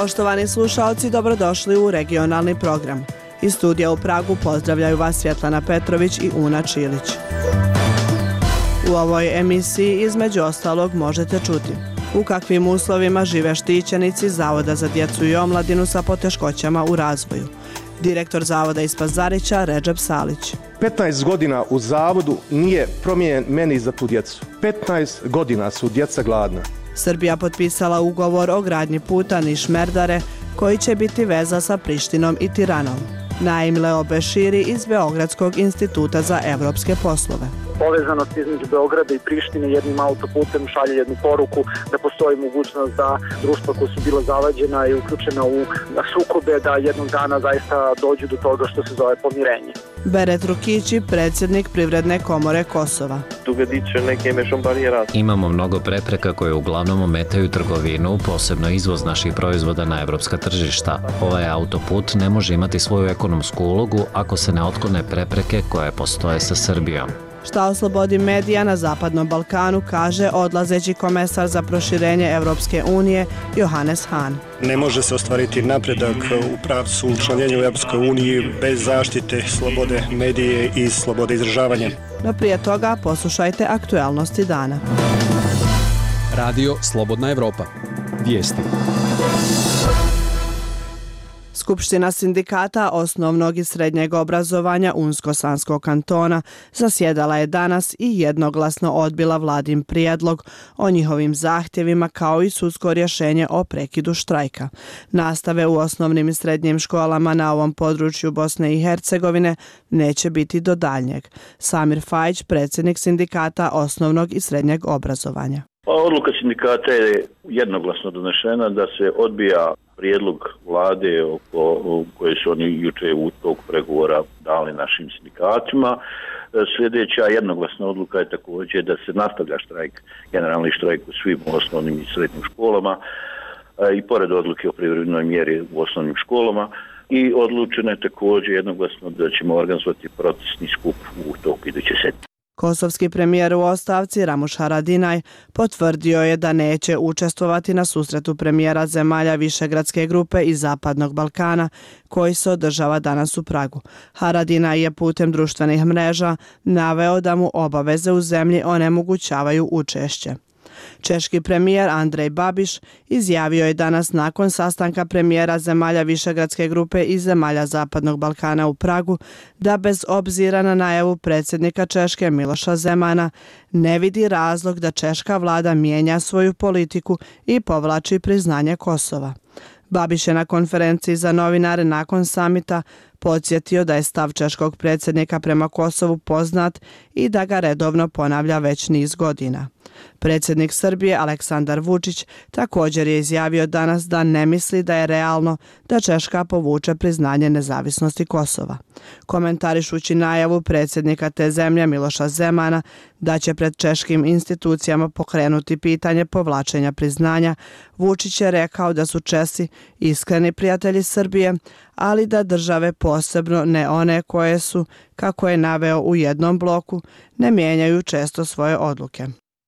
Poštovani slušaoci, dobrodošli u regionalni program. Iz studija u Pragu pozdravljaju vas Svjetlana Petrović i Una Čilić. U ovoj emisiji između ostalog možete čuti u kakvim uslovima žive štićenici Zavoda za djecu i omladinu sa poteškoćama u razvoju. Direktor Zavoda iz Pazarića Redžep Salić. 15 godina u Zavodu nije promijenjen meni za tu djecu. 15 godina su djeca gladna. Srbija potpisala ugovor o gradnji puta Niš-Merdare koji će biti veza sa Prištinom i Tiranom. Naim Leo Beširi iz Beogradskog instituta za evropske poslove. Povezanost između Beograda i Prištine jednim autoputem šalje jednu poruku da postoji mogućnost da društva koja su bila zavađena i uključena u sukobe da jednog dana zaista dođu do toga što se zove pomirenje. Beret Rukići, predsjednik Privredne komore Kosova. Imamo mnogo prepreka koje uglavnom ometaju trgovinu, posebno izvoz naših proizvoda na evropska tržišta. Ovaj autoput ne može imati svoju ekonomsku ulogu ako se ne otklone prepreke koje postoje sa Srbijom. Šta o slobodi medija na Zapadnom Balkanu kaže odlazeći komesar za proširenje Evropske unije Johannes Hahn. Ne može se ostvariti napredak u pravcu učlanjenja u Evropskoj uniji bez zaštite slobode medije i slobode izražavanja. No prije toga poslušajte aktualnosti dana. Radio Slobodna Evropa. Vijesti. Skupština sindikata osnovnog i srednjeg obrazovanja Unsko-Sanskog kantona zasjedala je danas i jednoglasno odbila vladin prijedlog o njihovim zahtjevima kao i sudsko rješenje o prekidu štrajka. Nastave u osnovnim i srednjim školama na ovom području Bosne i Hercegovine neće biti do daljnjeg. Samir Fajić, predsjednik sindikata osnovnog i srednjeg obrazovanja. Odluka sindikata je jednoglasno donešena da se odbija prijedlog vlade koje su oni juče u tog pregovora dali našim sindikatima. Sljedeća jednoglasna odluka je također da se nastavlja štrajk, generalni štrajk u svim osnovnim i srednjim školama i pored odluke o privremenoj mjeri u osnovnim školama. I odlučeno je također jednoglasno da ćemo organizovati protestni skup u toku iduće sedmice. Kosovski premijer u ostavci Ramuš Haradinaj potvrdio je da neće učestvovati na susretu premijera zemalja Višegradske grupe i Zapadnog Balkana koji se održava danas u Pragu. Haradinaj je putem društvenih mreža naveo da mu obaveze u zemlji onemogućavaju učešće. Češki premijer Andrej Babiš izjavio je danas nakon sastanka premijera zemalja Višegradske grupe i zemalja Zapadnog Balkana u Pragu da bez obzira na najavu predsjednika Češke Miloša Zemana ne vidi razlog da češka vlada mijenja svoju politiku i povlači priznanje Kosova. Babiš je na konferenciji za novinare nakon samita podsjetio da je stav češkog predsjednika prema Kosovu poznat i da ga redovno ponavlja već niz godina. Predsjednik Srbije Aleksandar Vučić također je izjavio danas da ne misli da je realno da Češka povuče priznanje nezavisnosti Kosova. Komentarišući najavu predsjednika te zemlje Miloša Zemana da će pred češkim institucijama pokrenuti pitanje povlačenja priznanja, Vučić je rekao da su Česi iskreni prijatelji Srbije, ali da države, posebno ne one koje su, kako je naveo u jednom bloku, ne mijenjaju često svoje odluke.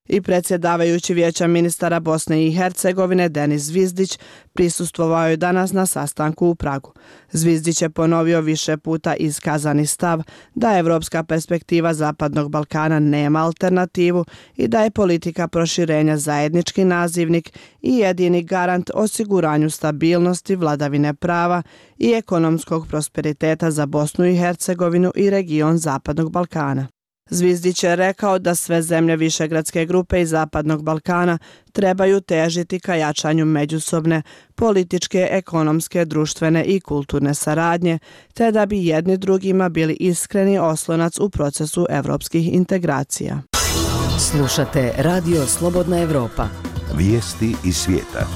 I predsjedavajući Vijeća ministara Bosne i Hercegovine Denis Zvizdić prisustvovao je danas na sastanku u Pragu. Zvizdić je ponovio više puta iskazani stav da evropska perspektiva Zapadnog Balkana nema alternativu i da je politika proširenja zajednički nazivnik i jedini garant osiguranju stabilnosti, vladavine prava i ekonomskog prosperiteta za Bosnu i Hercegovinu i region Zapadnog Balkana. Zvizdić je rekao da sve zemlje Višegradske grupe i Zapadnog Balkana trebaju težiti ka jačanju međusobne političke, ekonomske, društvene i kulturne saradnje, te da bi jedni drugima bili iskreni oslonac u procesu evropskih integracija. Slušate Radio Slobodna Evropa. Vijesti iz svijeta.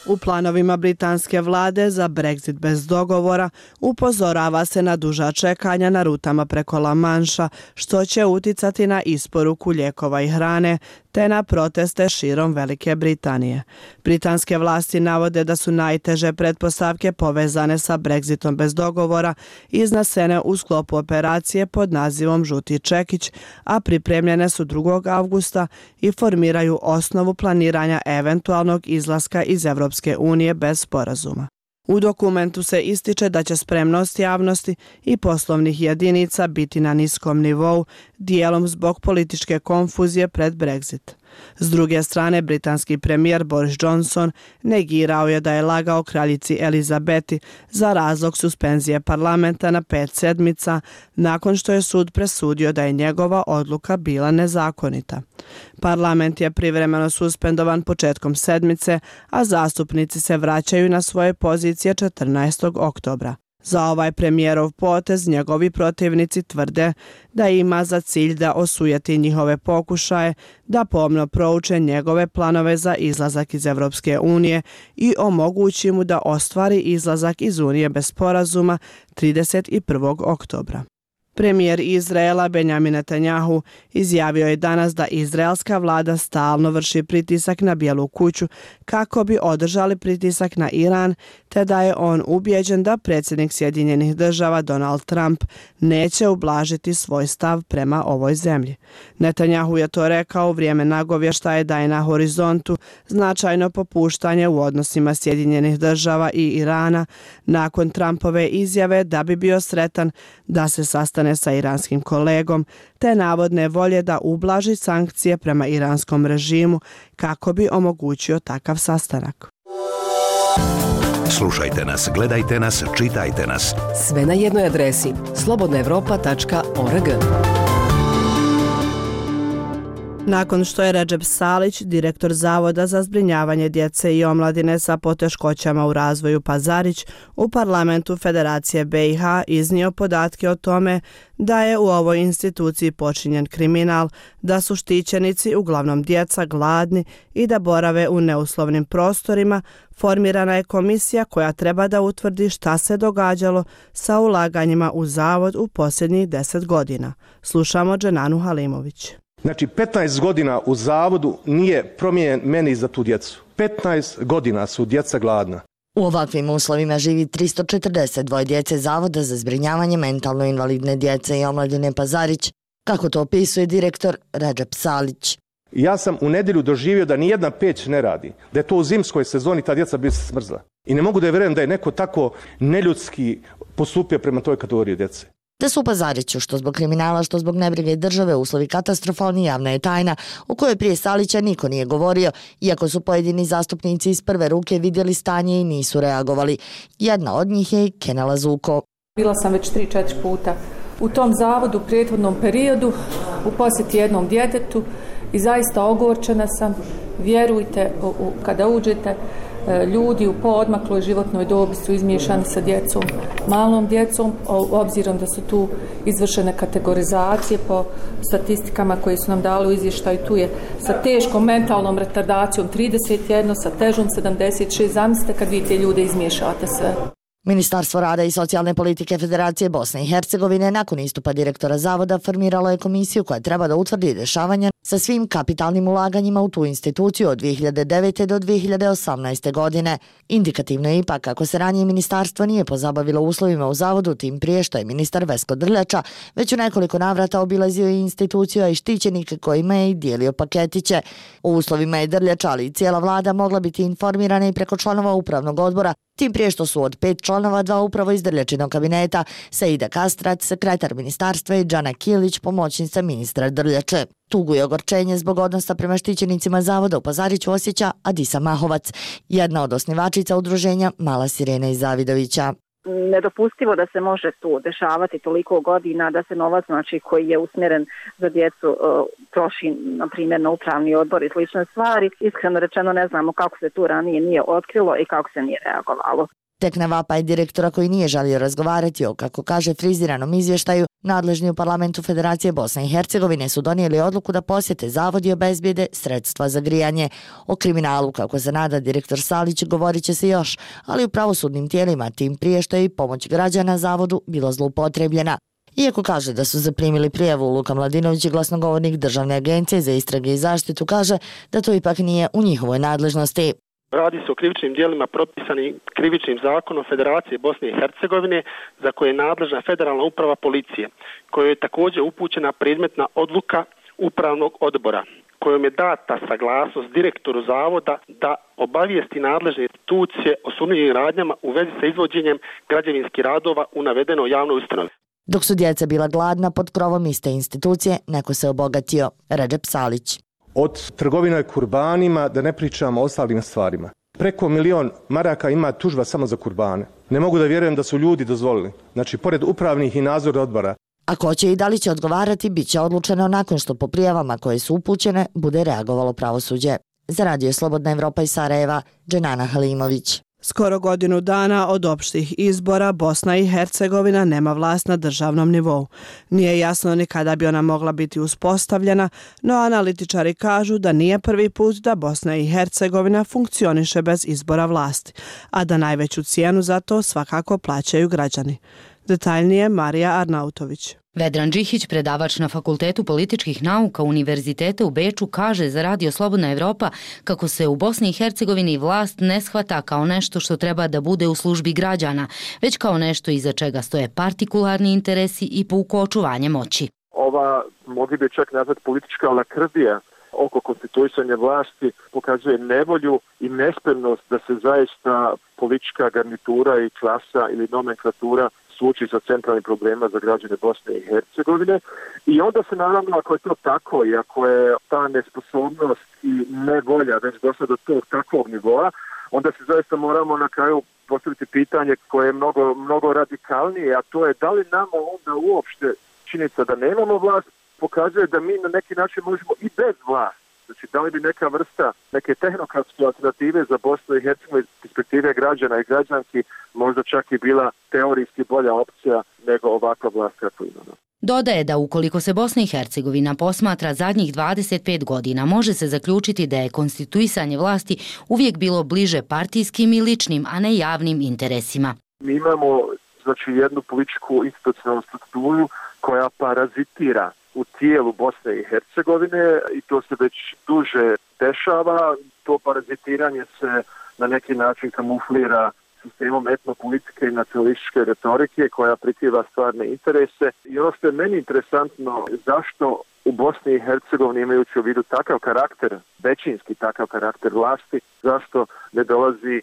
U planovima britanske vlade za Brexit bez dogovora upozorava se na duža čekanja na rutama preko La Manša, što će uticati na isporuku lijekova i hrane, te na proteste širom Velike Britanije. Britanske vlasti navode da su najteže pretpostavke povezane sa Brexitom bez dogovora iznesene u sklopu operacije pod nazivom Žuti čekić, a pripremljene su 2. avgusta i formiraju osnovu planiranja eventualnog izlaska iz Evropske unije bez sporazuma. U dokumentu se ističe da će spremnost javnosti i poslovnih jedinica biti na niskom nivou, dijelom zbog političke konfuzije pred Brexit. S druge strane, britanski premijer Boris Johnson negirao je da je lagao kraljici Elizabeti za razlog suspenzije parlamenta na 5 sedmica, nakon što je sud presudio da je njegova odluka bila nezakonita. Parlament je privremeno suspendovan početkom sedmice, a zastupnici se vraćaju na svoje pozicije 14. oktobra. Za ovaj premijerov potez njegovi protivnici tvrde da ima za cilj da osujeti njihove pokušaje da pomno prouče njegove planove za izlazak iz Evropske unije i omogući mu da ostvari izlazak iz Unije bez sporazuma 31. oktobra. Premijer Izraela Benjamin Netanjahu izjavio je danas da izraelska vlada stalno vrši pritisak na Bijelu kuću kako bi održali pritisak na Iran, te da je on ubijeđen da predsjednik Sjedinjenih država Donald Trump neće ublažiti svoj stav prema ovoj zemlji. Netanjahu je to rekao u vrijeme nagovještaja da je na horizontu značajno popuštanje u odnosima Sjedinjenih država i Irana nakon Trumpove izjave da bi bio sretan da se sastane sa iranskim kolegom, te navodne volje da ublaži sankcije prema iranskom režimu kako bi omogućio takav sastanak. Slušajte nas, gledajte nas, čitajte nas. Sve na jednoj adresi slobodnaevropa.org. Nakon što je Recep Salić, direktor Zavoda za zbrinjavanje djece i omladine sa poteškoćama u razvoju Pazarić, u parlamentu Federacije BiH iznio podatke o tome da je u ovoj instituciji počinjen kriminal, da su štićenici, uglavnom djeca, gladni i da borave u neuslovnim prostorima, formirana je komisija koja treba da utvrdi šta se događalo sa ulaganjima u Zavod u posljednjih 10 godina. Slušamo Dženanu Halimović. Znači, 15 godina u zavodu nije promijenjen meni za tu djecu. 15 godina su djeca gladna. U ovakvim uslovima živi 342 djece Zavoda za zbrinjavanje mentalno invalidne djece i omladine Pazarić, kako to opisuje direktor Recep Salić. Ja sam u nedjelju doživio da nijedna peć ne radi, da je to u zimskoj sezoni ta djeca bi se smrzla. I ne mogu da vjerujem da je neko tako neljudski postupio prema toj kategoriji djece. Da su u Pazariću, što zbog kriminala, što zbog nebrige države, uslovi katastrofalni, javna je tajna, u kojoj prije Salića niko nije govorio, iako su pojedini zastupnici iz prve ruke vidjeli stanje i nisu reagovali. Jedna od njih je Kenela Zuko. Bila sam već 3-4 puta u tom zavodu u prethodnom periodu, u posjeti jednom djetetu i zaista ogorčena sam. Vjerujte, kada uđete, ljudi u poodmakloj životnoj dobi su izmiješani sa djecom, malom djecom, obzirom da su tu izvršene kategorizacije po statistikama koje su nam dali u izvještaju. Tu je sa teškom mentalnom retardacijom 31, sa težom 76. Zamislite kad vi te ljude izmiješate sve. Ministarstvo rada i socijalne politike Federacije Bosne i Hercegovine nakon istupa direktora Zavoda formiralo je komisiju koja treba da utvrdi dešavanja sa svim kapitalnim ulaganjima u tu instituciju od 2009. do 2018. godine. Indikativno je ipak kako se ranije ministarstvo nije pozabavilo uslovima u Zavodu, tim prije što je ministar Vesko Drljača već u nekoliko navrata obilazio i instituciju, a i štićenike kojima je i dijelio paketiće. U uslovima je Drljača, ali i cijela vlada mogla biti informirana i preko članova upravnog odbora, tim prije što su od 5 članova 2 upravo iz Drljačinog kabineta, Saida Kastrat, sekretar ministarstva, i Džana Kilić, pomoćnica ministra Drljače. Tugu i ogorčenje zbog odnosa prema štićenicima Zavoda u Pazariću osjeća Adisa Mahovac, jedna od osnivačica udruženja Mala Sirena iz Zavidovića. Nedopustivo da se može tu dešavati toliko godina, da se novac, znači, koji je usmjeren za djecu troši, na primjer, na upravni odbor i slične stvari. Iskreno rečeno ne znamo kako se tu ranije nije otkrilo i kako se nije reagovalo. Tek na vapaj direktora koji nije želio razgovarati o, kako kaže, friziranom izvještaju, nadležni u parlamentu Federacije Bosne i Hercegovine su donijeli odluku da posjete Zavod i obezbijede sredstva za grijanje. O kriminalu, kako se nada direktor Salić, govorit će se još, ali u pravosudnim tijelima, tim prije što je i pomoć građana Zavodu bilo zloupotrebljena. Iako kaže da su zaprimili prijavu, Luka Mladinović, glasnogovornik Državne agencije za istrage i zaštitu, kaže da to ipak nije u njihovoj nadležnosti. Radi se o krivičnim djelima propisanim krivičnim zakonom Federacije Bosne i Hercegovine za koje je nadležna Federalna uprava policije, kojoj je također upućena predmetna odluka Upravnog odbora, kojom je data saglasnost direktoru zavoda da obavijesti nadležne institucije o sumnjivim radnjama u vezi sa izvođenjem građevinskih radova u navedenoj javnoj ustanovi. Dok su djeca bila gladna pod krovom iste institucije, neko se obogatio. Redžep Salić. Od trgovine kurbanima, da ne pričamo o ostalim stvarima. Preko 1 milion maraka ima tužba samo za kurbane. Ne mogu da vjerujem da su ljudi dozvolili. Znači, pored upravnih i nadzornih odbora. A ko će i da li će odgovarati, bit će odlučeno nakon što po prijavama koje su upućene bude reagovalo pravosuđe. Za Radio Slobodna Evropa iz Sarajeva, Dženana Halimović. Skoro godinu dana od opštih izbora Bosna i Hercegovina nema vlast na državnom nivou. Nije jasno ni kada bi ona mogla biti uspostavljena, no analitičari kažu da nije prvi put da Bosna i Hercegovina funkcioniše bez izbora vlasti, a da najveću cijenu za to svakako plaćaju građani. Detaljnije Marija Arnautović. Vedran Đihić, predavač na Fakultetu političkih nauka Univerziteta u Beču, kaže za Radio Slobodna Evropa kako se u Bosni i Hercegovini vlast ne shvata kao nešto što treba da bude u službi građana, već kao nešto iza čega stoje partikularni interesi i puko očuvanje moći. Ova, mogli bi čak nazvati politička lakrdija oko konstituisanja vlasti pokazuje nevolju i nespremnost da se zaista politička garnitura i klasa ili nomenklatura suoči sa centralnim problema za građane Bosne i Hercegovine. I onda se naravno, ako je to tako i ako je ta nesposobnost i nevolja već došla do tog takvog nivoa, onda se zaista moramo na kraju postaviti pitanje koje je mnogo radikalnije, a to je da li nama onda uopšte činjenica da nemamo vlast pokazuje da mi na neki način možemo i bez vlasti. Znači, da li bi neka vrsta, neke tehnokratske alternative za Bosnu i Hercegovinu iz perspektive građana i građanki možda čak i bila teorijski bolja opcija nego ovakva vlast kako imamo. Dodaje da ukoliko se Bosna i Hercegovina posmatra zadnjih 25 godina, može se zaključiti da je konstituisanje vlasti uvijek bilo bliže partijskim i ličnim, a ne javnim interesima. Mi imamo jednu političku institucionalnu strukturu koja parazitira u tijelu Bosne i Hercegovine i to se već duže dešava. To parazitiranje se na neki način kamuflira sistemom etnopolitike i nacionalističke retorike koja prikriva stvarne interese. I ono što je meni interesantno, zašto u Bosni i Hercegovini imajući u vidu takav karakter, većinski takav karakter vlasti, zašto ne dolazi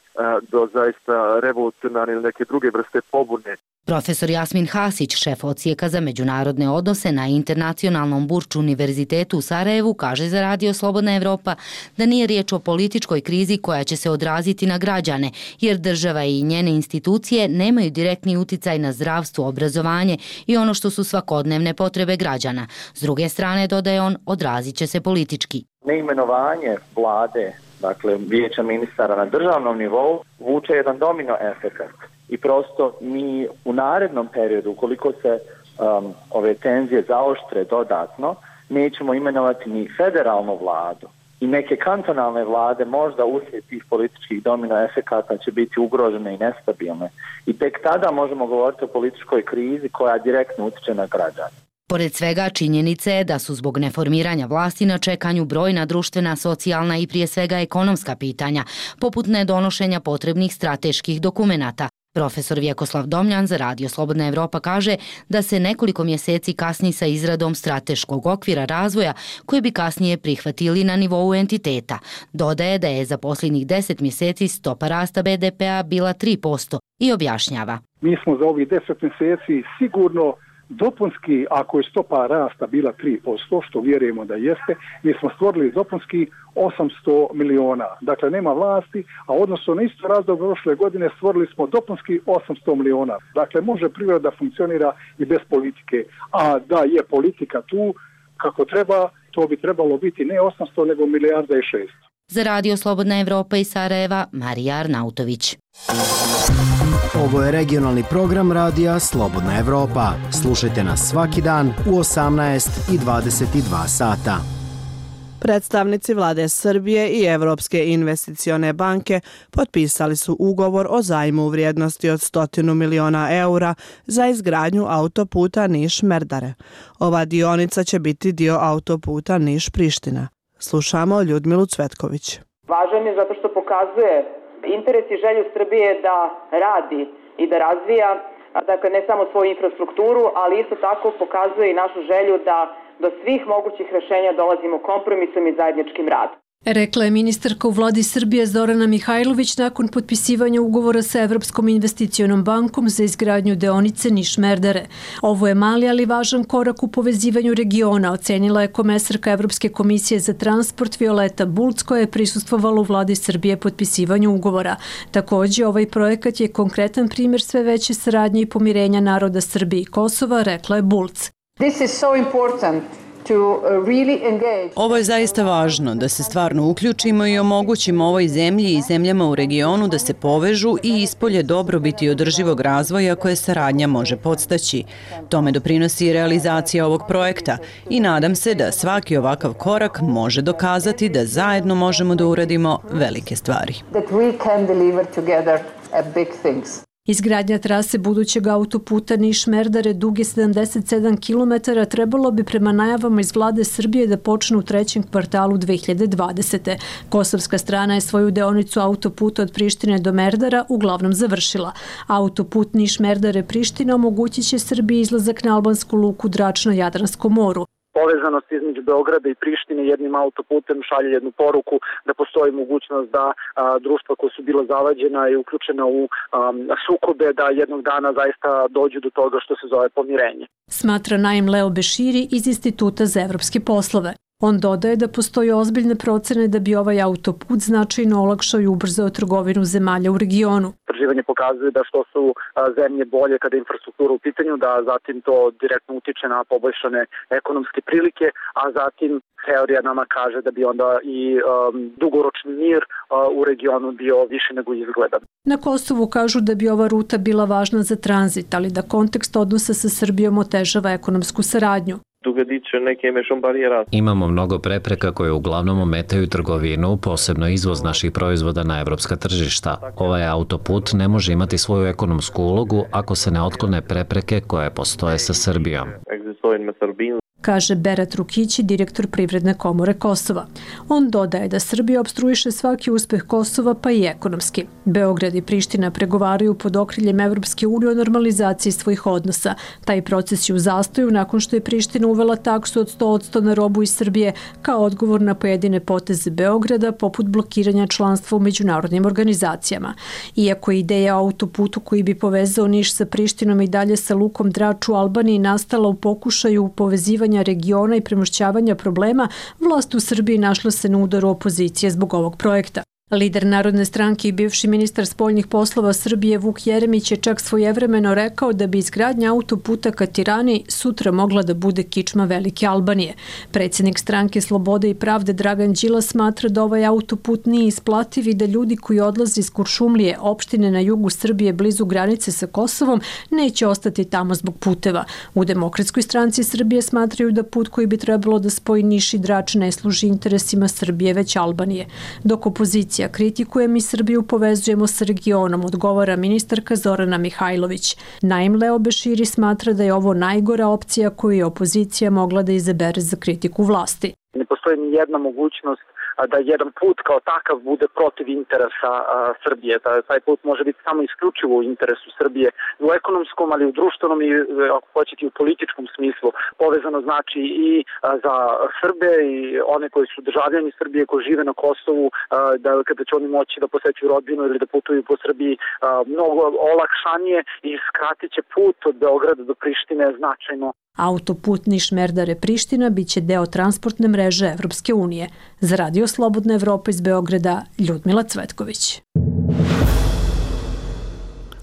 do zaista revolucionarne ili neke druge vrste pobune. Profesor Jasmin Hasić, šef odsjeka za međunarodne odnose na Internacionalnom Burču Univerzitetu u Sarajevu, kaže za Radio Slobodna Evropa da nije riječ o političkoj krizi koja će se odraziti na građane, jer država i njene institucije nemaju direktni uticaj na zdravstvo, obrazovanje i ono što su svakodnevne potrebe građana. S druge strane, dodaje on, odrazit će se politički. Neimenovanje vlade, dakle vijeća ministara na državnom nivou, vuče jedan domino efekat. I prosto mi u narednom periodu, ukoliko se ove tenzije zaoštre dodatno, nećemo imenovati ni federalnu vladu. I neke kantonalne vlade možda uslijed tih političkih domino efekata će biti ugrožene i nestabilne. I tek tada možemo govoriti o političkoj krizi koja direktno utiče na građane. Pored svega, činjenica je da su zbog neformiranja vlasti na čekanju brojna društvena, socijalna i prije svega ekonomska pitanja, poput nedonošenja potrebnih strateških dokumenata. Profesor Vjekoslav Domljan za Radio Slobodna Evropa kaže da se nekoliko mjeseci kasni sa izradom strateškog okvira razvoja koje bi kasnije prihvatili na nivou entiteta. Dodaje da je za posljednjih 10 mjeseci stopa rasta BDP-a bila 3% i objašnjava. Mi smo za ovih 10 mjeseci sigurno dopunski, ako je stopa rasta bila 3%, što vjerujemo da jeste, mi smo stvorili dopunski 800 miliona. Dakle, nema vlasti, a odnosno na isto razdoblje prošle godine stvorili smo dopunski 800 miliona. Dakle, može privreda funkcionira i bez politike. A da je politika tu kako treba, to bi trebalo biti ne 800, nego 1,6 milijarda. Za Radio Slobodna Evropa iz Sarajeva, Marija Arnautović. Ovo je regionalni program Radija Slobodna Evropa. Slušajte nas svaki dan u 18 i 22 sata. Predstavnici vlade Srbije i Evropske investicione banke potpisali su ugovor o zajmu u vrijednosti od 100 miliona eura za izgradnju autoputa Niš-Merdare. Ova dionica će biti dio autoputa Niš-Priština. Slušamo Ljudmilu Cvetković. Važan je zato što pokazuje interes i želju Srbije da radi i da razvija, dakle ne samo svoju infrastrukturu, ali isto tako pokazuje i našu želju da do svih mogućih rešenja dolazimo kompromisom i zajedničkim radom. Rekla je ministarka u vladi Srbije Zorana Mihajlović nakon potpisivanja ugovora sa Evropskom investicionom bankom za izgradnju deonice Niš-Merdare. Ovo je mali, ali važan korak u povezivanju regiona, ocenila je komesarka Evropske komisije za transport Violeta Bulc, koja je prisustvovala u vladi Srbije potpisivanju ugovora. Također, ovaj projekat je konkretan primjer sve veće saradnje i pomirenja naroda Srbije i Kosova, rekla je Bulc. This is so important. Ovo je zaista važno, da se stvarno uključimo i omogućimo ovoj zemlji i zemljama u regionu da se povežu i ispolje dobrobiti i održivog razvoja koje saradnja može podstaći. Tome doprinosi i realizacija ovog projekta i nadam se da svaki ovakav korak može dokazati da zajedno možemo da uradimo velike stvari. Izgradnja trase budućeg autoputa Niš-Merdare duge 77 km trebalo bi prema najavama iz vlade Srbije da počne u trećem kvartalu 2020. Kosovska strana je svoju deonicu autoputa od Prištine do Merdara uglavnom završila. Autoput Niš-Merdare-Priština omogućit će Srbiji izlazak na albansku luku Drač na Jadranskom moru. Povezanost između Beograda i Prištine jednim autoputem šalje jednu poruku da postoji mogućnost da društva koja su bila zavađena i uključena u sukobe da jednog dana zaista dođu do toga što se zove pomirenje. Smatra Naim Leo Beširi iz Instituta za evropske poslove. On dodaje da postoji ozbiljne procene da bi ovaj autoput značajno olakšao i ubrzao trgovinu zemalja u regionu. Istraživanje pokazuje da što su zemlje bolje kada je infrastruktura u pitanju, da zatim to direktno utiče na poboljšane ekonomske prilike, a zatim teorija nama kaže da bi onda i dugoročni mir u regionu bio više nego izgledan. Na Kosovu kažu da bi ova ruta bila važna za tranzit, ali da kontekst odnosa sa Srbijom otežava ekonomsku saradnju. Imamo mnogo prepreka koje uglavnom ometaju trgovinu, posebno izvoz naših proizvoda na evropska tržišta. Ovaj autoput ne može imati svoju ekonomsku ulogu ako se ne otklone prepreke koje postoje sa Srbijom. Kaže Berat Rukići, direktor Privredne komore Kosova. On dodaje da Srbija opstruiše svaki uspeh Kosova, pa i ekonomski. Beograd i Priština pregovaraju pod okriljem Evropske unije o normalizaciji svojih odnosa. Taj proces je u zastoju nakon što je Priština uvela taksu od 100% na robu iz Srbije kao odgovor na pojedine poteze Beograda, poput blokiranja članstva u međunarodnim organizacijama. Iako je ideja o autoputu koji bi povezao Niš sa Prištinom i dalje sa lukom Drač u Albaniji nastala u pokušaju povezivanja regiona i premošćavanja problema, vlast u Srbiji našla se na udaru opozicije zbog ovog projekta. Lider Narodne stranke i bivši ministar spoljnih poslova Srbije Vuk Jeremić je čak svojevremeno rekao da bi izgradnja autoputa ka Tirani sutra mogla da bude kičma Velike Albanije. Predsjednik stranke Slobode i pravde Dragan Đilas smatra da ovaj autoput nije isplativ i da ljudi koji odlaze iz Kuršumlije, opštine na jugu Srbije blizu granice sa Kosovom, neće ostati tamo zbog puteva. U Demokratskoj stranci Srbije smatraju da put koji bi trebalo da spoji Niš i Drač ne služi interesima Srbije već Albanije. Dok opozicija kritikuje, mi Srbiju povezujemo sa regionom, odgovara ministarka Zorana Mihajlović. Naim Leo Beširi smatra da je ovo najgora opcija koju je opozicija mogla da izabere za kritiku vlasti. Ne postoji ni jedna mogućnost da jedan put kao takav bude protiv interesa Srbije. Taj put može biti samo isključivo u interesu Srbije u ekonomskom, ali i u društvenom i ako hoćete i u političkom smislu. Povezano znači i za Srbe i one koji su državljani Srbije koji žive na Kosovu, da kada će oni moći da posećuju rodbinu ili da putuju po Srbiji mnogo olakšanije i skratit će put od Beograda do Prištine značajno. Autoput Niš-Merdare-Priština biće deo transportne mreže Evropske unije. Za Radio Slobodna Evropa iz Beograda, Ljudmila Cvetković.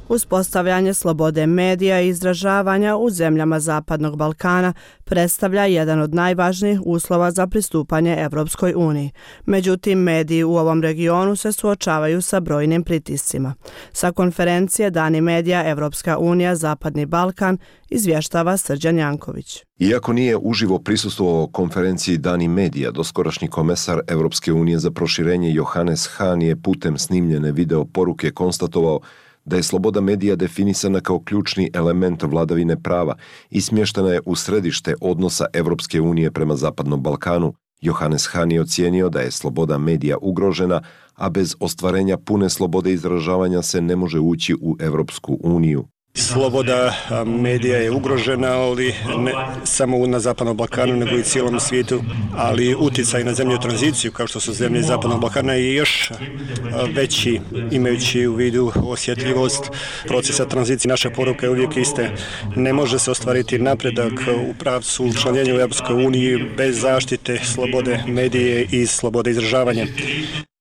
Uspostavljanje slobode medija i izražavanja u zemljama Zapadnog Balkana predstavlja jedan od najvažnijih uslova za pristupanje Evropskoj uniji. Međutim, mediji u ovom regionu se suočavaju sa brojnim pritiscima. Sa konferencije Dani medija Evropska unija Zapadni Balkan izvještava Srđan Janković. Iako nije uživo prisustvovao konferenciji Dani medija, doskorašnji komesar Evropske unije za proširenje Johannes Hahn je putem snimljene video poruke konstatovao da je sloboda medija definisana kao ključni element vladavine prava i smještena je u središte odnosa Evropske unije prema Zapadnom Balkanu. Johannes Hahn je ocijenio da je sloboda medija ugrožena, a bez ostvarenja pune slobode izražavanja se ne može ući u Evropsku uniju. Sloboda medija je ugrožena, ali ne samo na Zapadnom Balkanu, nego i cijelom svijetu, ali utjecaj na zemlje u tranziciju, kao što su zemlje Zapadnog Balkana, je još veći, imajući u vidu osjetljivost procesa tranzicije. Naša poruka je uvijek iste. Ne može se ostvariti napredak u pravcu učlanjenja u Europskoj uniji bez zaštite slobode medije i slobode izražavanja.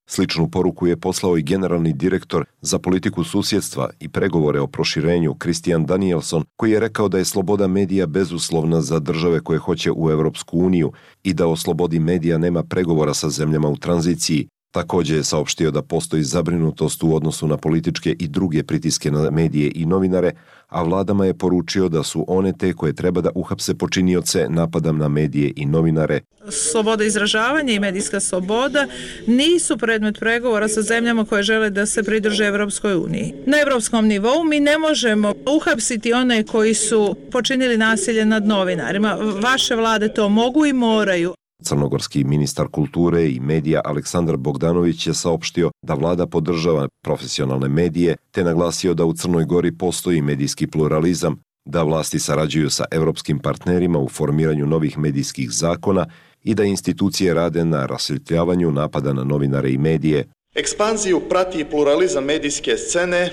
Sličnu poruku je poslao i generalni direktor za politiku susjedstva i pregovore o proširenju Christian Danielson, koji je rekao da je sloboda medija bezuslovna za države koje hoće u Europsku uniju i da o slobodi medija nema pregovora sa zemljama u tranziciji. Također je saopštio da postoji zabrinutost u odnosu na političke i druge pritiske na medije i novinare, a vladama je poručio da su one te koje treba da uhapse počinioce napada na medije i novinare. Sloboda izražavanja i medijska sloboda nisu predmet pregovora sa zemljama koje žele da se pridruže Evropskoj uniji. Na evropskom nivou mi ne možemo uhapsiti one koji su počinili nasilje nad novinarima. Vaše vlade to mogu i moraju. Crnogorski ministar kulture i medija Aleksandar Bogdanović je saopštio da vlada podržava profesionalne medije, te naglasio da u Crnoj Gori postoji medijski pluralizam, da vlasti sarađuju sa evropskim partnerima u formiranju novih medijskih zakona i da institucije rade na rasvjetljavanju napada na novinare i medije. Ekspanziju prati pluralizam medijske scene.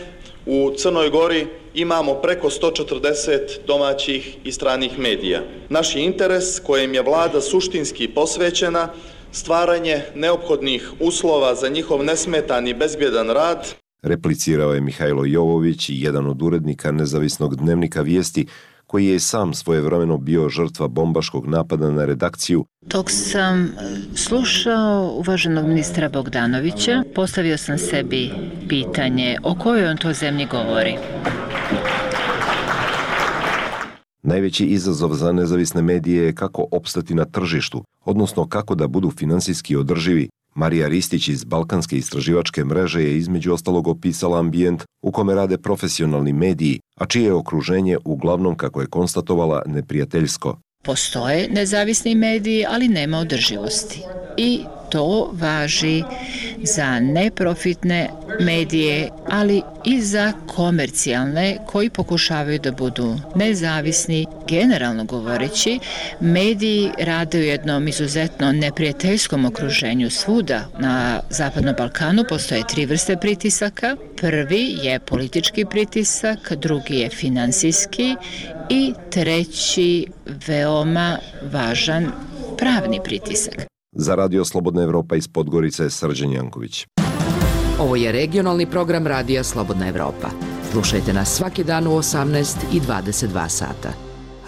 U Crnoj Gori imamo preko 140 domaćih i stranih medija. Naš je interes, kojem je vlada suštinski posvećena, stvaranje neophodnih uslova za njihov nesmetan i bezbjedan rad. Replicirao je Mihajlo Jovović, jedan od urednika nezavisnog dnevnika Vijesti, koji je sam svojevremeno bio žrtva bombaškog napada na redakciju. Dok sam slušao uvaženog ministra Bogdanovića, postavio sam sebi pitanje o kojoj on to zemlji govori. Najveći izazov za nezavisne medije je kako opstati na tržištu, odnosno kako da budu finansijski održivi. Marija Ristić iz Balkanske istraživačke mreže je između ostalog opisala ambijent u kome rade profesionalni mediji, a čije je okruženje uglavnom, kako je konstatovala, neprijateljsko. Postoje nezavisni mediji, ali nema održivosti. I to važi za neprofitne medije, ali i za komercijalne koji pokušavaju da budu nezavisni. Generalno govoreći, mediji rade u jednom izuzetno neprijateljskom okruženju svuda. Na Zapadnom Balkanu postoje 3 vrste pritisaka. Prvi je politički pritisak, drugi je finansijski i treći veoma važan pravni pritisak. Za Radio Slobodna Evropa iz Podgorice, Srđan Janković. Ovo je regionalni program Radija Slobodna Evropa. Slušajte nas svaki dan u 18 i 22 sata.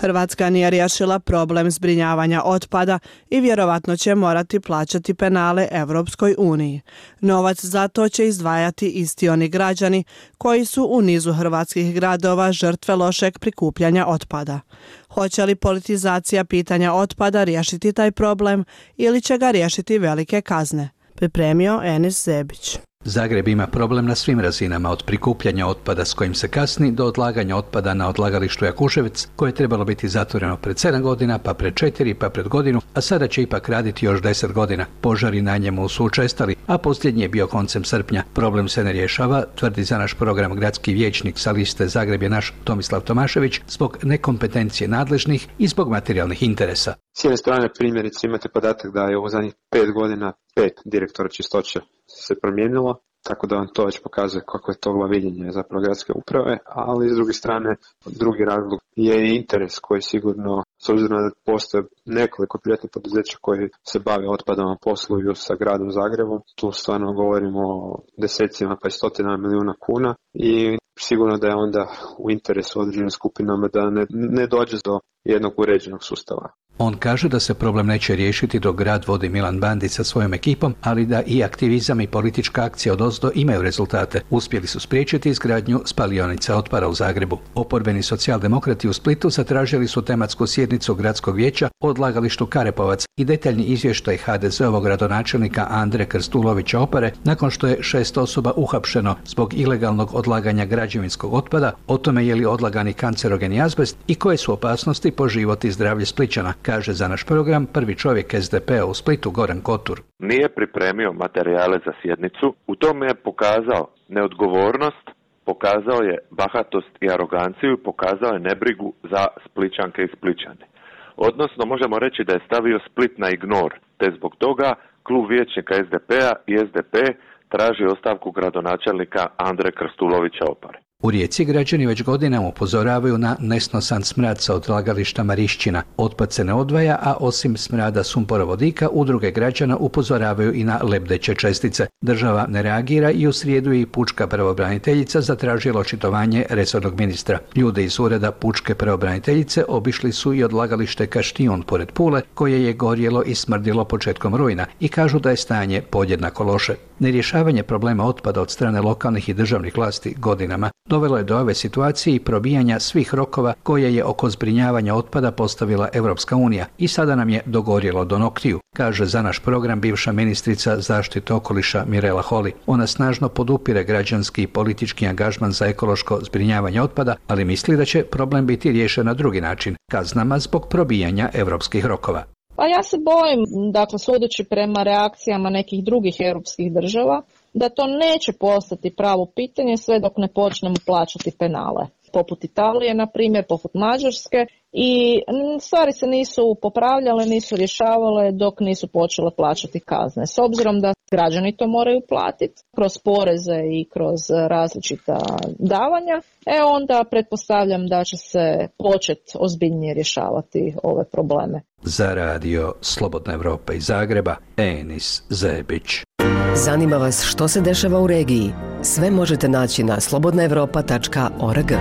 Hrvatska nije riješila problem zbrinjavanja otpada i vjerovatno će morati plaćati penale Evropskoj uniji. Novac za to će izdvajati isti oni građani koji su u nizu hrvatskih gradova žrtve lošeg prikupljanja otpada. Hoće li politizacija pitanja otpada riješiti taj problem ili će ga riješiti velike kazne? Pripremio Enis Zebić. Zagreb ima problem na svim razinama, od prikupljanja otpada s kojim se kasni do odlaganja otpada na odlagalištu Jakuševec, koje je trebalo biti zatvoreno pred 7 godina, pa pred 4, pa pred godinu, a sada će ipak raditi još 10 godina. Požari na njemu su učestali, a posljednji je bio koncem srpnja. Problem se ne rješava, tvrdi za naš program gradski vijećnik sa liste Zagreb je naš Tomislav Tomašević, zbog nekompetencije nadležnih i zbog materijalnih interesa. S jedne strane primjerice imate podatak da je u zadnjih 5 godina 5 direktora čistoće se promijenilo, tako da vam to već pokazuje kako je to viđenje zapravo gradske uprave, ali s druge strane drugi razlog je interes koji sigurno, s obzirom da postoje nekoliko privatnih poduzeća koji se bave otpadom, a posluju sa gradom Zagrebom, tu stvarno govorimo o desecima pa i stotina milijuna kuna i sigurno da je onda u interesu određenim skupinama da ne dođe do jednog uređenog sustava. On kaže da se problem neće riješiti dok grad vodi Milan Bandić sa svojom ekipom, ali da i aktivizam i politička akcija odozdo imaju rezultate. Uspjeli su spriječiti izgradnju spalionice otpada u Zagrebu. Oporbeni socijaldemokrati u Splitu zatražili su tematsku sjednicu gradskog vijeća o odlagalištu Karepovac i detaljni izvještaj HDZ-ovog gradonačelnika Andre Krstulovića Opare nakon što je 6 osoba uhapšeno zbog ilegalnog odlaganja građevinskog otpada, o tome je li odlagani kancerogeni azbest i koje su opasnosti po život i zdravlje Splićana, kaže za naš program prvi čovjek SDP-a u Splitu Goran Kotur. Nije pripremio materijale za sjednicu, u tome je pokazao neodgovornost, pokazao je bahatost i aroganciju i pokazao je nebrigu za Splićanke i Splićane. Odnosno, možemo reći da je stavio Split na ignor, te zbog toga klub vijećnika SDP-a i SDP traži ostavku gradonačelnika Andre Krstulovića Opare. U Rijeci građani već godinama upozoravaju na nesnosan smrad sa odlagališta Marišćina. Otpad se ne odvaja, a osim smrada sumporovodika, udruge građana upozoravaju i na lebdeće čestice. Država ne reagira i u srijedu je i pučka pravobraniteljica zatražila očitovanje resornog ministra. Ljude iz ureda pučke pravobraniteljice obišli su i odlagalište Kaštijun pored Pule, koje je gorjelo i smrdilo početkom rujna i kažu da je stanje podjednako loše. Nerješavanje problema otpada od strane lokalnih i državnih vlasti godinama dovelo je do ove situacije i probijanja svih rokova koje je oko zbrinjavanja otpada postavila Europska unija i sada nam je dogorjelo do noktiju, kaže za naš program bivša ministrica zaštite okoliša Mirela Holy. Ona snažno podupire građanski i politički angažman za ekološko zbrinjavanje otpada, ali misli da će problem biti riješen na drugi način, kaznama zbog probijanja europskih rokova. Pa ja se bojim, dakle, sudeći prema reakcijama nekih drugih europskih država, da to neće postati pravo pitanje sve dok ne počnemo plaćati penale. Poput Italije, na primjer, poput Mađarske, i stvari se nisu popravljale, nisu rješavale dok nisu počele plaćati kazne. S obzirom da građani to moraju platiti kroz poreze i kroz različita davanja, onda pretpostavljam da će se početi ozbiljnije rješavati ove probleme. Za radio Slobodna Evropa iz Zagreba, Enis Zebić. Zanima vas što se dešava u regiji? Sve možete naći na slobodnaevropa.org.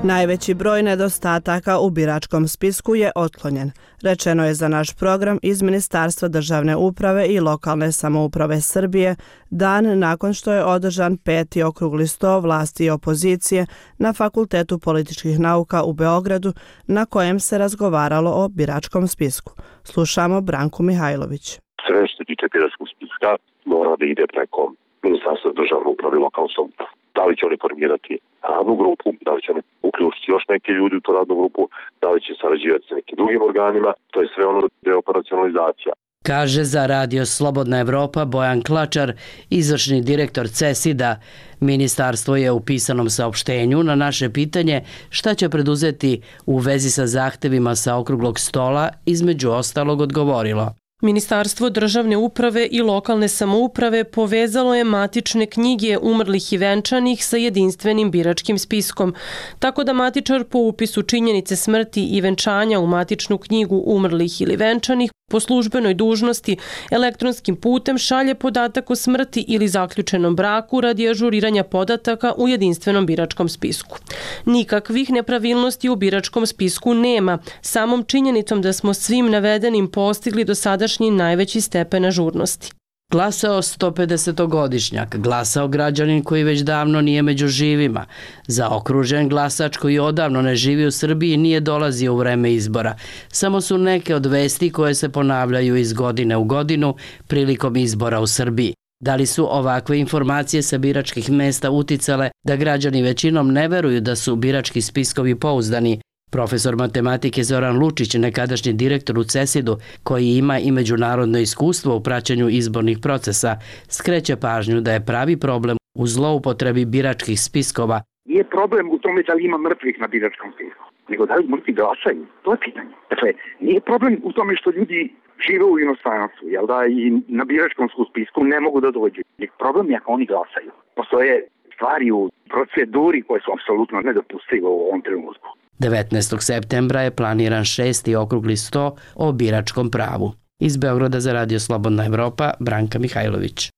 Najveći broj nedostataka u biračkom spisku je otklonjen, rečeno je za naš program iz Ministarstva državne uprave i lokalne samouprave Srbije dan nakon što je održan 5. okrugli sto vlasti i opozicije na Fakultetu političkih nauka u Beogradu, na kojem se razgovaralo o biračkom spisku. Slušamo Branku Mihajlović. Sve što se tiče biračkog spiska mora da ide preko Ministarstva državne uprave i lokalne samouprave. Da li će oni formirati radnu grupu, da li će oni uključiti još neke ljudi u tu radnu grupu, da li će sarađivati sa nekim drugim organima, to je sve ono da je operacionalizacija. Kaže za radio Slobodna Evropa Bojan Klačar, izvršni direktor CESID-a. Ministarstvo je u pisanom saopštenju na naše pitanje šta će preduzeti u vezi sa zahtevima sa okruglog stola između ostalog odgovorilo. Ministarstvo državne uprave i lokalne samouprave povezalo je matične knjige umrlih i venčanih sa jedinstvenim biračkim spiskom, tako da matičar po upisu činjenice smrti i venčanja u matičnu knjigu umrlih ili venčanih po službenoj dužnosti elektronskim putem šalje podatak o smrti ili zaključenom braku radi ažuriranja podataka u jedinstvenom biračkom spisku. Nikakvih nepravilnosti u biračkom spisku nema, samom činjenicom da smo svim navedenim postigli do sadašnji najveći stepen ažurnosti. Glasao 150-godišnjak, glasao građanin koji već davno nije među živima, zaokružen glasač koji odavno ne živi u Srbiji i nije dolazio u vreme izbora. Samo su neke od vesti koje se ponavljaju iz godine u godinu prilikom izbora u Srbiji. Da li su ovakve informacije sa biračkih mesta uticale da građani većinom ne veruju da su birački spiskovi pouzdani? Profesor matematike Zoran Lučić, nekadašnji direktor u CESID-u, koji ima i međunarodno iskustvo u praćenju izbornih procesa, skreće pažnju da je pravi problem u zloupotrebi biračkih spiskova. Nije problem u tome da li ima mrtvih na biračkom spisku, nego da li mrtvi glasaju. To je pitanje. Dakle, nije problem u tome što ljudi žive u inostranstvu, jel da, i na biračkom spisku ne mogu da dođu. Problem je ako oni glasaju. Postoje stvari u proceduri koje su apsolutno nedopustive u ovom trenutku. 19. septembra je planiran 6. okrugli sto o biračkom pravu. Iz Beograda za radio Slobodna Evropa, Branka Mihajlović.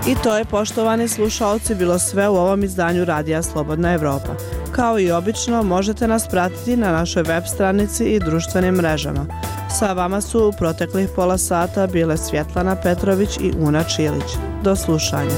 I to je, poštovani slušaoci, bilo sve u ovom izdanju Radija Slobodna Evropa. Kao i obično, možete nas pratiti na našoj web stranici i društvenim mrežama. Sa vama su u proteklih pola sata bile Svjetlana Petrović i Una Čilić. Do slušanja.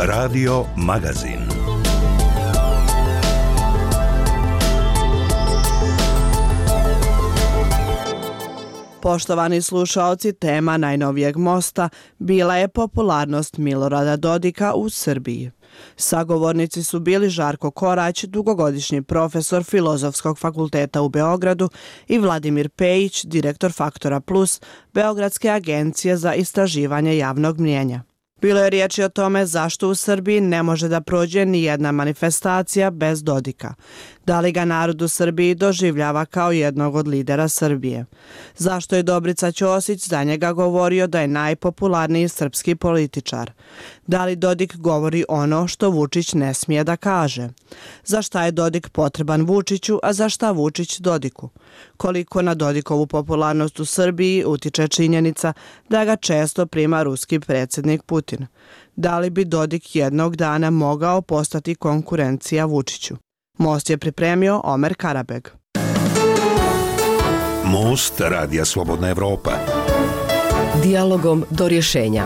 Radio Magazin. Poštovani slušaoci, tema najnovijeg mosta bila je popularnost Milorada Dodika u Srbiji. Sagovornici su bili Žarko Korać, dugogodišnji profesor Filozofskog fakulteta u Beogradu, i Vladimir Pejić, direktor Faktora Plus, Beogradske agencije za istraživanje javnog mnijenja. Bilo je riječi o tome zašto u Srbiji ne može da prođe ni jedna manifestacija bez Dodika. Da li ga narod u Srbiji doživljava kao jednog od lidera Srbije? Zašto je Dobrica Ćosić za njega govorio da je najpopularniji srpski političar? Da li Dodik govori ono što Vučić ne smije da kaže? Za šta je Dodik potreban Vučiću, a za šta Vučić Dodiku? Koliko na Dodikovu popularnost u Srbiji utiče činjenica da ga često prima ruski predsjednik Putin? Da li bi Dodik jednog dana mogao postati konkurencija Vučiću? Most je pripremio Omer Karabeg. Most Radija Slobodna Evropa. Dijalogom do rješenja.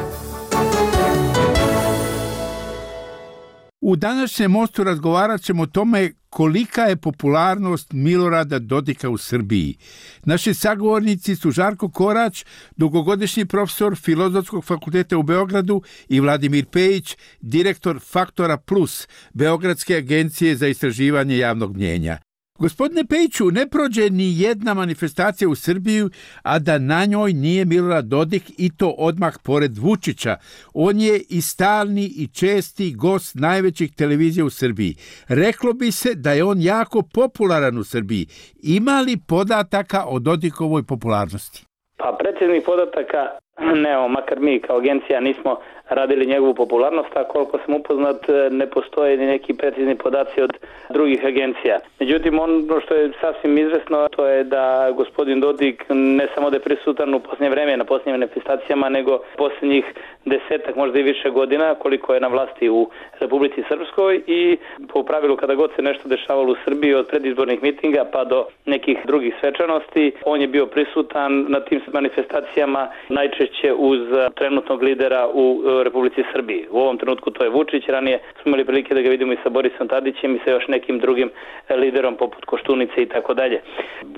U današnjem mostu razgovarat ćemo o tome kolika je popularnost Milorada Dodika u Srbiji. Naši sagovornici su Žarko Korać, dugogodišnji profesor Filozofskog fakulteta u Beogradu, i Vladimir Pejić, direktor Faktora Plus, Beogradske agencije za istraživanje javnog mnijenja. Gospodine Pejiću, ne prođe ni jedna manifestacija u Srbiju, a da na njoj nije Milorad Dodik, i to odmah pored Vučića. On je i stalni i česti gost najvećih televizija u Srbiji. Reklo bi se da je on jako popularan u Srbiji. Ima li podataka o Dodikovoj popularnosti? Pa predsjednih podataka nemamo, makar mi kao agencija nismo radili njegovu popularnost, a koliko sam upoznat ne postoje ni neki precizni podaci od drugih agencija. Međutim, ono što je sasvim izvesno, to je da gospodin Dodik ne samo da je prisutan u posljednje vreme na posljednjim manifestacijama, nego posljednjih 10, možda i više godina, koliko je na vlasti u Republici Srpskoj, i po pravilu kada god se nešto dešavalo u Srbiji, od predizbornih mitinga pa do nekih drugih svečanosti, on je bio prisutan na tim manifestacijama, najčešće uz trenutnog lidera u Republici Srbiji. U ovom trenutku to je Vučić, ranije smo imali prilike da ga vidimo i sa Borisom Tadićem i sa još nekim drugim liderom poput Koštunice i tako dalje.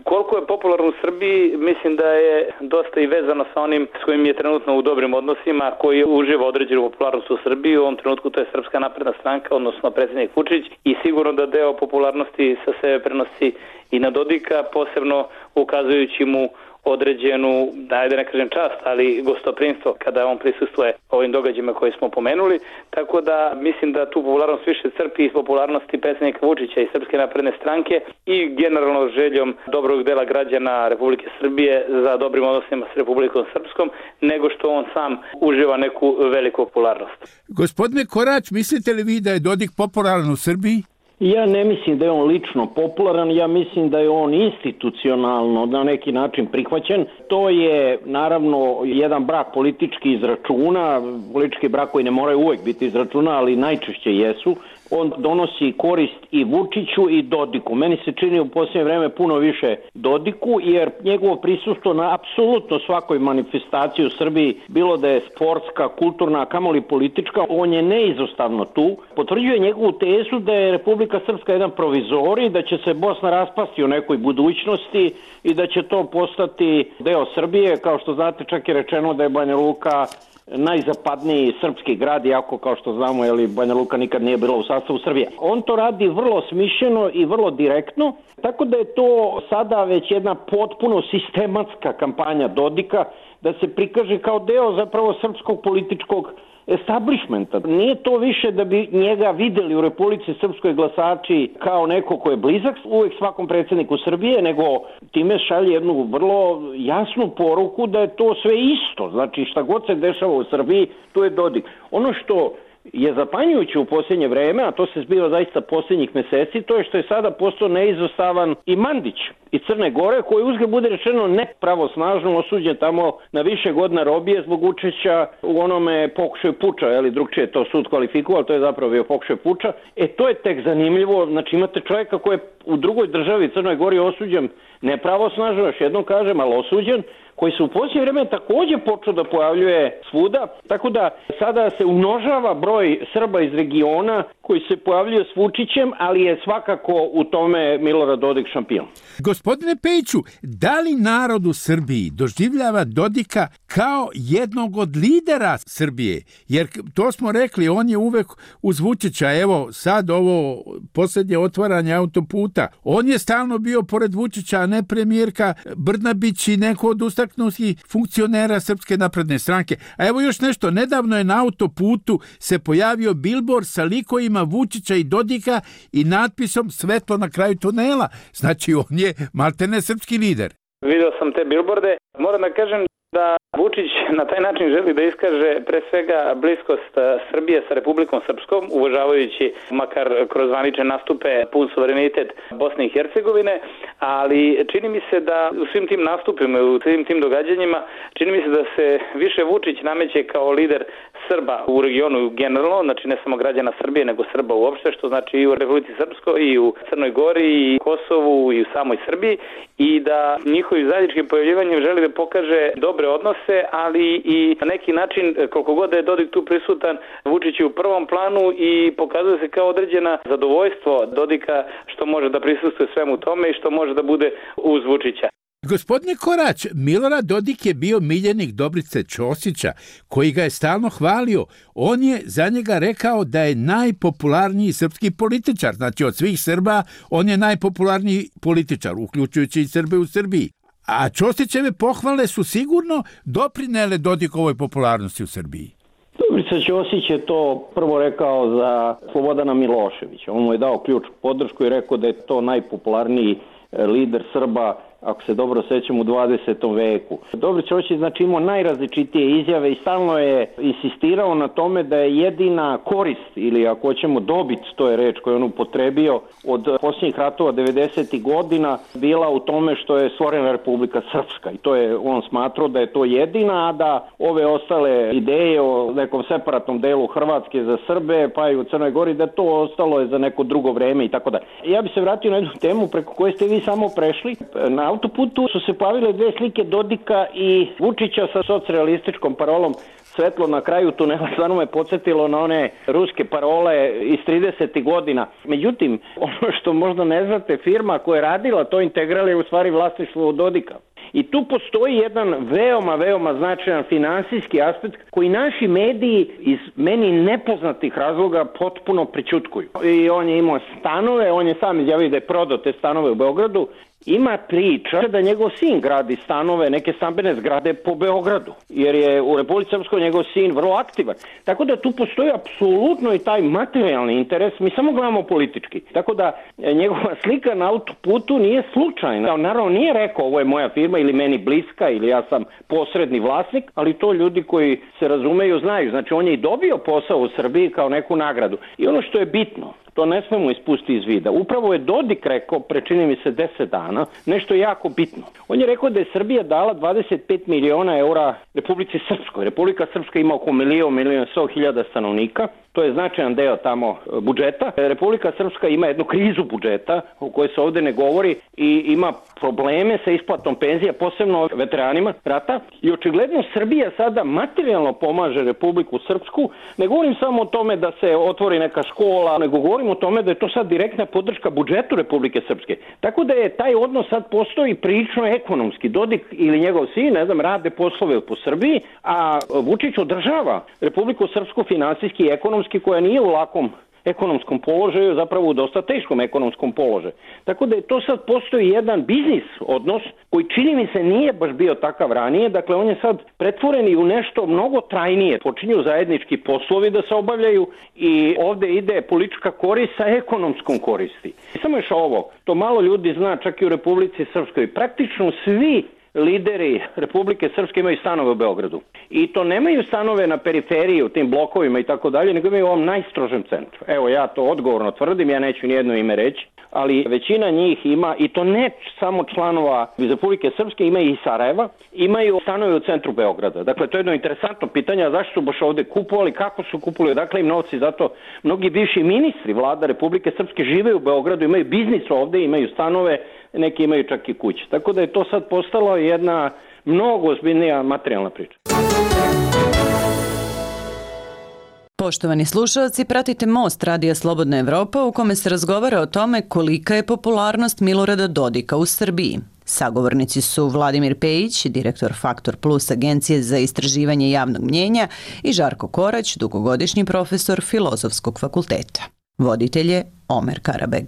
Koliko je popularno u Srbiji, mislim da je dosta i vezano sa onim s kojim je trenutno u dobrim odnosima, koji uživa određenu popularnost u Srbiji. U ovom trenutku to je Srpska napredna stranka, odnosno predsjednik Vučić, i sigurno da deo popularnosti sa sebe prenosi i na Dodika, posebno ukazujući mu određenu, da ne kažem čast, ali gostoprimstvo kada on prisustvuje ovim događajima koje smo pomenuli, tako da mislim da tu popularnost više crpi iz popularnosti predsjednika Vučića i Srpske napredne stranke i generalno željom dobrog dela građana Republike Srbije za dobrim odnosima s Republikom Srpskom, nego što on sam uživa neku veliku popularnost. Gospodine Korać, mislite li vi da je Dodik popularan u Srbiji? Ja ne mislim da je on lično popularan, ja mislim da je on institucionalno na neki način prihvaćen. To je naravno jedan brak politički iz računa, politički brak koji ne moraju uvijek biti iz računa, ali najčešće jesu. On donosi korist i Vučiću i Dodiku. Meni se čini u posljednje vreme puno više Dodiku, jer njegovo prisustvo na apsolutno svakoj manifestaciji u Srbiji, bilo da je sportska, kulturna, kamoli politička, on je neizostavno tu. Potvrđuje njegovu tezu da je Republika Srpska jedan provizorij, da će se Bosna raspasti u nekoj budućnosti i da će to postati deo Srbije. Kao što znate, čak je rečeno da je Banja Luka najzapadniji srpski grad, iako kao što znamo, Banja Luka nikad nije bila u sastavu Srbije. On to radi vrlo smišljeno i vrlo direktno, tako da je to sada već jedna potpuno sistematska kampanja Dodika, da se prikaže kao deo zapravo srpskog političkog establishmenta. Nije to više da bi njega videli u Republici Srpskoj glasači kao neko ko je blizak uvek svakom predsjedniku Srbije, nego time šalje jednu vrlo jasnu poruku da je to sve isto. Znači šta god se dešava u Srbiji, tu je Dodik. Ono što je zapanjujuće u posljednje vreme, a to se zbiva zaista posljednjih meseci, to je što je sada postao neizostavan i Mandić iz Crne Gore, koji uzgled bude rečeno nepravosnažno osuđen tamo na više godina robije zbog učešća u onome pokušaju puča, drugčije je to sud kvalifikovao, to je zapravo bio pokušaj puča. To je tek zanimljivo, znači imate čovjeka koji je u drugoj državi Crnoj Gori osuđen nepravosnažno, još jednom kažem, ali osuđen, koji se u posljednje vreme također počeo da pojavljuje svuda, tako da sada se umnožava broj Srba iz regiona koji se pojavljuje s Vučićem, ali je svakako u tome Milorad Dodik šampion. Gospodine Pejiću, da li narod u Srbiji doživljava Dodika kao jednog od lidera Srbije? Jer to smo rekli, on je uvek uz Vučića, evo sad ovo posljednje otvaranje autoputa, on je stalno bio pored Vučića, a ne premijerka Brnabić i neko od ustaknutih funkcionera Srpske napredne stranke. A evo još nešto, nedavno je na autoputu se pojavio bilbord sa likovima Vučića i Dodika i natpisom svetlo na kraju tunela. Znači on je maltene srpski lider. Video sam te bilborde. Moram da kažem da Vučić na taj način želi da iskaže pre svega bliskost Srbije sa Republikom Srpskom, uvažavajući makar kroz zvanične nastupe pun suverenitet Bosne i Hercegovine, ali čini mi se da u svim tim nastupima, u svim tim događanjima, čini mi se da se više Vučić nameće kao lider Srba u regionu generalno, znači ne samo građana Srbije, nego Srba uopšte, što znači i u Republici Srpskoj, i u Crnoj Gori, i Kosovu, i u samoj Srbiji, i da njihovim zajedničkim pojavljivanjem želi da pokaže dobre odnose, ali i na neki način, koliko god da je Dodik tu prisutan, Vučić je u prvom planu i pokazuje se kao određena zadovoljstvo Dodika što može da prisustuje svemu tome i što može da bude uz Vučića. Gospodine Korać, Milorad Dodik je bio miljenik Dobrice Ćosića, koji ga je stalno hvalio. On je za njega rekao da je najpopularniji srpski političar. Znači od svih Srba on je najpopularniji političar, uključujući i Srbe u Srbiji. A Ćosićeve pohvale su sigurno doprinele Dodikovoj popularnosti u Srbiji. Dobrica Ćosić je to prvo rekao za Slobodana Miloševića. On mu je dao ključ podršku i rekao da je to najpopularniji lider Srba, ako se dobro sećam, u 20. veku. Dobrica Ćosić znači imao najrazličitije izjave i stalno je insistirao na tome da je jedina korist, ili ako hoćemo dobit, to je reč koju on upotrebio, od posljednjih ratova 90. godina bila u tome što je stvorena Republika Srpska. I to je on smatrao da je to jedina, a da ove ostale ideje o nekom separatnom delu Hrvatske za Srbe, pa i u Crnoj Gori, da to ostalo je za neko drugo vreme i tako da. Ja bi se vratio na jednu temu preko koje ste vi samo prešli. Na autoputu su se pojavile dve slike Dodika i Vučića sa socrealističkom parolom svetlo na kraju tunela. Stvarno me podsjetilo na one ruske parole iz 30. godina. Međutim, ono što možda ne znate, firma koja je radila to Integral je u stvari vlasništvo Dodika. I tu postoji jedan veoma značajan finansijski aspekt koji naši mediji iz meni nepoznatih razloga potpuno prećutkuju. I on je imao stanove, on je sam izjavio da je prodao te stanove u Beogradu. Ima priča da njegov sin gradi stanove, neke stambene zgrade po Beogradu, jer je u Republici Srpskoj njegov sin vrlo aktivan. Tako da tu postoji apsolutno i taj materijalni interes, mi samo gledamo politički. Tako da njegova slika na autoputu nije slučajna. Naravno nije rekao ovo je moja firma ili meni bliska ili ja sam posredni vlasnik, ali to ljudi koji se razumeju znaju. Znači on je i dobio posao u Srbiji kao neku nagradu. I ono što je bitno, to ne smemo ispustiti iz vida. Upravo je Dodik rekao, prečini mi se 10 dana, nešto jako bitno. On je rekao da je Srbija dala 25 miliona eura Republici Srpskoj. Republika Srpska ima oko 1.100.000 stanovnika. To je značajan deo tamo budžeta. Republika Srpska ima jednu krizu budžeta o kojoj se ovdje ne govori i ima probleme sa isplatom penzija, posebno veteranima rata. I očigledno Srbija sada materijalno pomaže Republiku Srpsku. Ne govorim samo o tome da se otvori neka škola, nego govorim govorim o tome da je to sad direktna podrška budžetu Republike Srpske. Tako da je taj odnos sad postoji prilično ekonomski. Dodik ili njegov sin, ne znam, rade poslove po Srbiji, a Vučić održava Republiku Srpsku finansijski i ekonomski, koja nije u lakom ekonomskom položaju, zapravo u dosta teškom ekonomskom položaju. Tako da je to sad postoji jedan biznis odnos koji čini mi se nije baš bio takav ranije, dakle on je sad pretvoren i u nešto mnogo trajnije. Počinju zajednički poslovi da se obavljaju i ovde ide politička korist sa ekonomskom koristi. Samo još ovo, to malo ljudi zna čak i u Republici Srpskoj, praktično svi lideri Republike Srpske imaju stanove u Beogradu. I to nemaju stanove na periferiji, u tim blokovima i tako dalje, nego imaju u ovom najstrožem centru. Evo, ja to odgovorno tvrdim, ja neću nijedno ime reći, ali većina njih ima, i to ne samo članova iz Republike Srpske, ima i Sarajeva, imaju stanove u centru Beograda. Dakle, to je jedno interesantno pitanje, zašto su baš ovde kupovali, kako su kupovali, dakle im novci, zato mnogi bivši ministri vlada Republike Srpske žive u Beogradu, imaju biznis ovde, imaju stanove, neki imaju čak i kuće. Tako da je to sad postalo jedna mnogo ozbiljnija materijalna priča. Poštovani slušalci, pratite Most Radija Slobodna Evropa u kome se razgovara o tome kolika je popularnost Milorada Dodika u Srbiji. Sagovornici su Vladimir Pejić, direktor Faktor Plus agencije za istraživanje javnog mnjenja, i Žarko Korać, dugogodišnji profesor Filozofskog fakulteta. Voditelj je Omer Karabeg.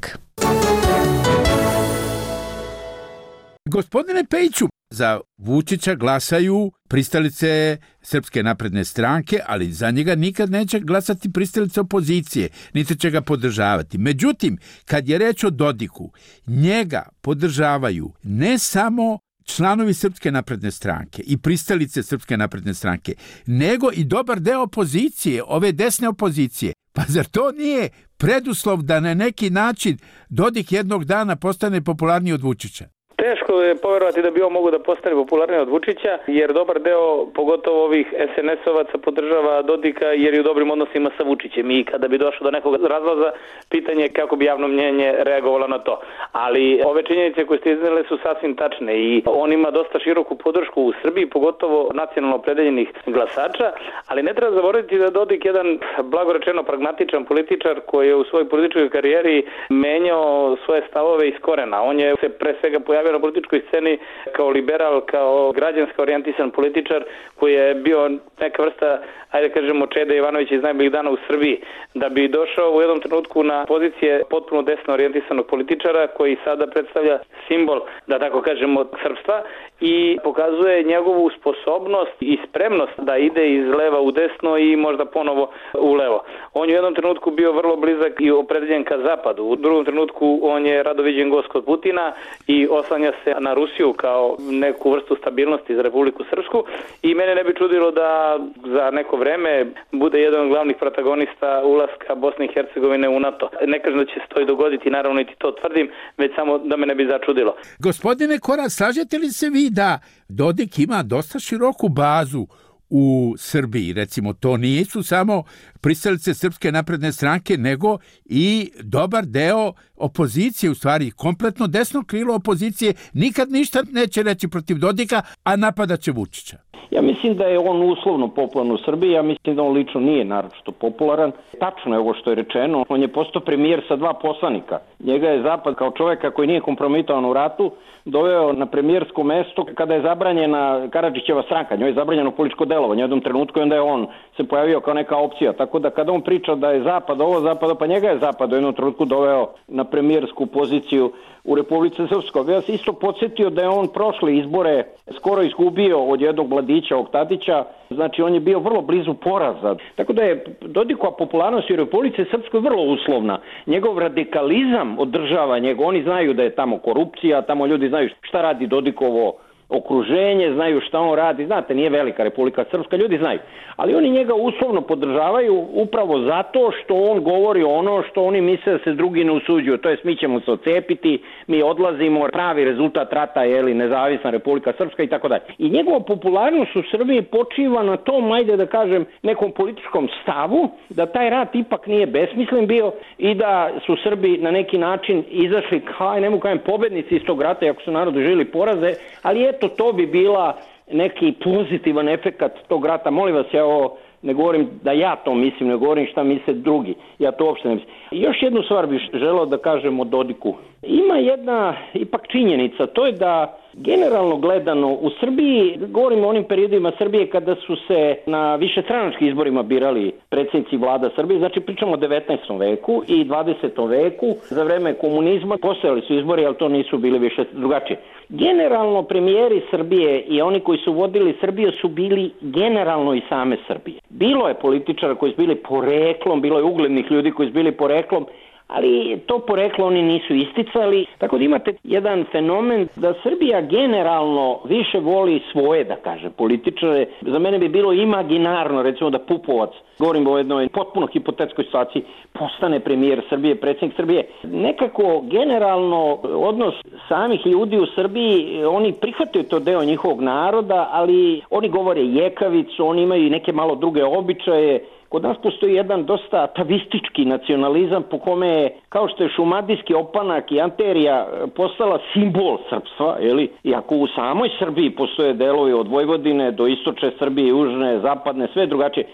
Gospodine Pejiću, za Vučića glasaju pristalice Srpske napredne stranke, ali za njega nikad neće glasati pristalice opozicije, niti će ga podržavati. Međutim, kad je reč o Dodiku, njega podržavaju ne samo članovi Srpske napredne stranke i pristalice Srpske napredne stranke, nego i dobar deo opozicije, ove desne opozicije. Pa zar to nije preduslov da na neki način Dodik jednog dana postane popularniji od Vučića? Teško je poverovati da bi on mogo da postane popularniji od Vučića, jer dobar deo, pogotovo ovih SNS-ovaca, podržava Dodika jer je u dobrim odnosima sa Vučićem i kada bi došlo do nekog razlaza, pitanje je kako bi javno mnjenje reagovalo na to. Ali ove činjenice koje ste iznele su sasvim tačne i on ima dosta široku podršku u Srbiji, pogotovo nacionalno opredeljenih glasača, ali ne treba zaboraviti da Dodik jedan blagorečeno pragmatičan političar koji je u svojoj političkoj karijeri menjao svoje stavove iz korena. On je se pre svega pojavio na političkoj sceni kao liberal, kao građanski orijentisan političar koji je bio neka vrsta, ajde kažemo, Čeda Ivanovića iz najboljih dana u Srbiji, da bi došao u jednom trenutku na pozicije potpuno desno orijentisanog političara koji sada predstavlja simbol, da tako kažemo, srpstva i pokazuje njegovu sposobnost i spremnost da ide iz leva u desno i možda ponovo u levo. On je u jednom trenutku bio vrlo blizak i opredeljen ka zapadu. U drugom trenutku on je rado viđen gost kod Putina i oslanja se na Rusiju kao neku vrstu stabilnosti za Republiku Srpsku i mene ne bi čudilo da za neko vreme bude jedan od glavnih protagonista ulaska Bosne i Hercegovine u NATO. Ne kažem da će se to i dogoditi, naravno niti to tvrdim, već samo da me ne bi začudilo. Gospodine Korać, slažete li se vi da Dodik ima dosta široku bazu u Srbiji? Recimo, to nisu samo pristalice Srpske napredne stranke, nego i dobar deo opozicije, u stvari kompletno desno krilo opozicije, nikad ništa neće reći protiv Dodika, a napadaće Vučića. Ja mislim da je on uslovno popularan u Srbiji, ja mislim da on lično nije naročito popularan. Tačno je ovo što je rečeno, on je postao premijer sa 2 poslanika. Njega je Zapad kao čoveka koji nije kompromitovan u ratu doveo na premijersko mesto kada je zabranjena Karadžićeva stranka, njoj je zabranjeno političko delovanje u jednom trenutku i onda je on se pojavio kao neka opcija. Tako da kada on priča da je Zapad ovo, Zapad, pa njega je Zapad u jednom trenutku doveo na premijersku poziciju u Republici Srpskoj. Ja sam isto podsjetio da je on prošle izbore skoro izgubio od jednog mladića, ovog Tadića, znači on je bio vrlo blizu poraza. Tako da je Dodikova popularnost u Republici Srpskoj vrlo uslovna. Njegov radikalizam održava njega, oni znaju da je tamo korupcija, tamo ljudi znaju šta radi Dodikovo okruženje, znaju šta on radi, znate, nije velika Republika Srpska, ljudi znaju, ali oni njega uslovno podržavaju upravo zato što on govori ono što oni misle da se drugi ne usuđuju, to jest mi ćemo se ocepiti, mi odlazimo, pravi rezultat rata je nezavisna Republika Srpska i tako dalje. I njegova popularnost u Srbiji počiva na tom, ajde da kažem, nekom političkom stavu, da taj rat ipak nije besmislen bio i da su Srbi na neki način izašli, ne mogu kažem, pobednici iz tog rata, iako su narod doživjeli poraze, ali eto, to bi bila neki pozitivan efekat tog rata. Molim vas, ja ovo ne govorim da ja to mislim, ne govorim šta misle drugi. Ja to uopšte ne mislim. I još jednu stvar bih želeo da kažem o Dodiku. Ima jedna ipak činjenica, to je da generalno gledano u Srbiji, govorimo o onim periodima Srbije kada su se na višestranačkim izborima birali predsjednici vlada Srbije, znači pričamo o 19. veku i 20. veku, za vreme komunizma postojali su izbori, ali to nisu bili više drugačije. Generalno premijeri Srbije i oni koji su vodili Srbiju su bili generalno i same Srbije. Bilo je političara koji su bili poreklom, bilo je uglednih ljudi koji su bili poreklom, ali to poreklo oni nisu isticali. Tako da imate jedan fenomen da Srbija generalno više voli svoje, da kaže, političare. Za mene bi bilo imaginarno, recimo da Pupovac, govorim o jednoj potpuno hipotetskoj situaciji, postane premijer Srbije, predsjednik Srbije. Nekako generalno odnos samih ljudi u Srbiji, oni prihvataju to deo njihovog naroda, ali oni govore jekavicu, oni imaju i neke malo druge običaje. Kod nas postoji jedan dosta atavistički nacionalizam po kome je, kao što je šumadijski opanak i anterija postala simbol srpstva, iako u samoj Srbiji postoje delovi od Vojvodine do istočne Srbije, južne, zapadne, sve drugačije.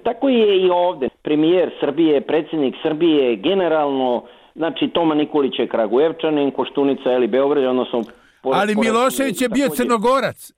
Tako je i ovde. Premijer Srbije, predsjednik Srbije, generalno, znači Toma Nikolić je Kragujevčanin, Koštunica Beograd, odnosno... Ali Milošević je bio Crnogorac.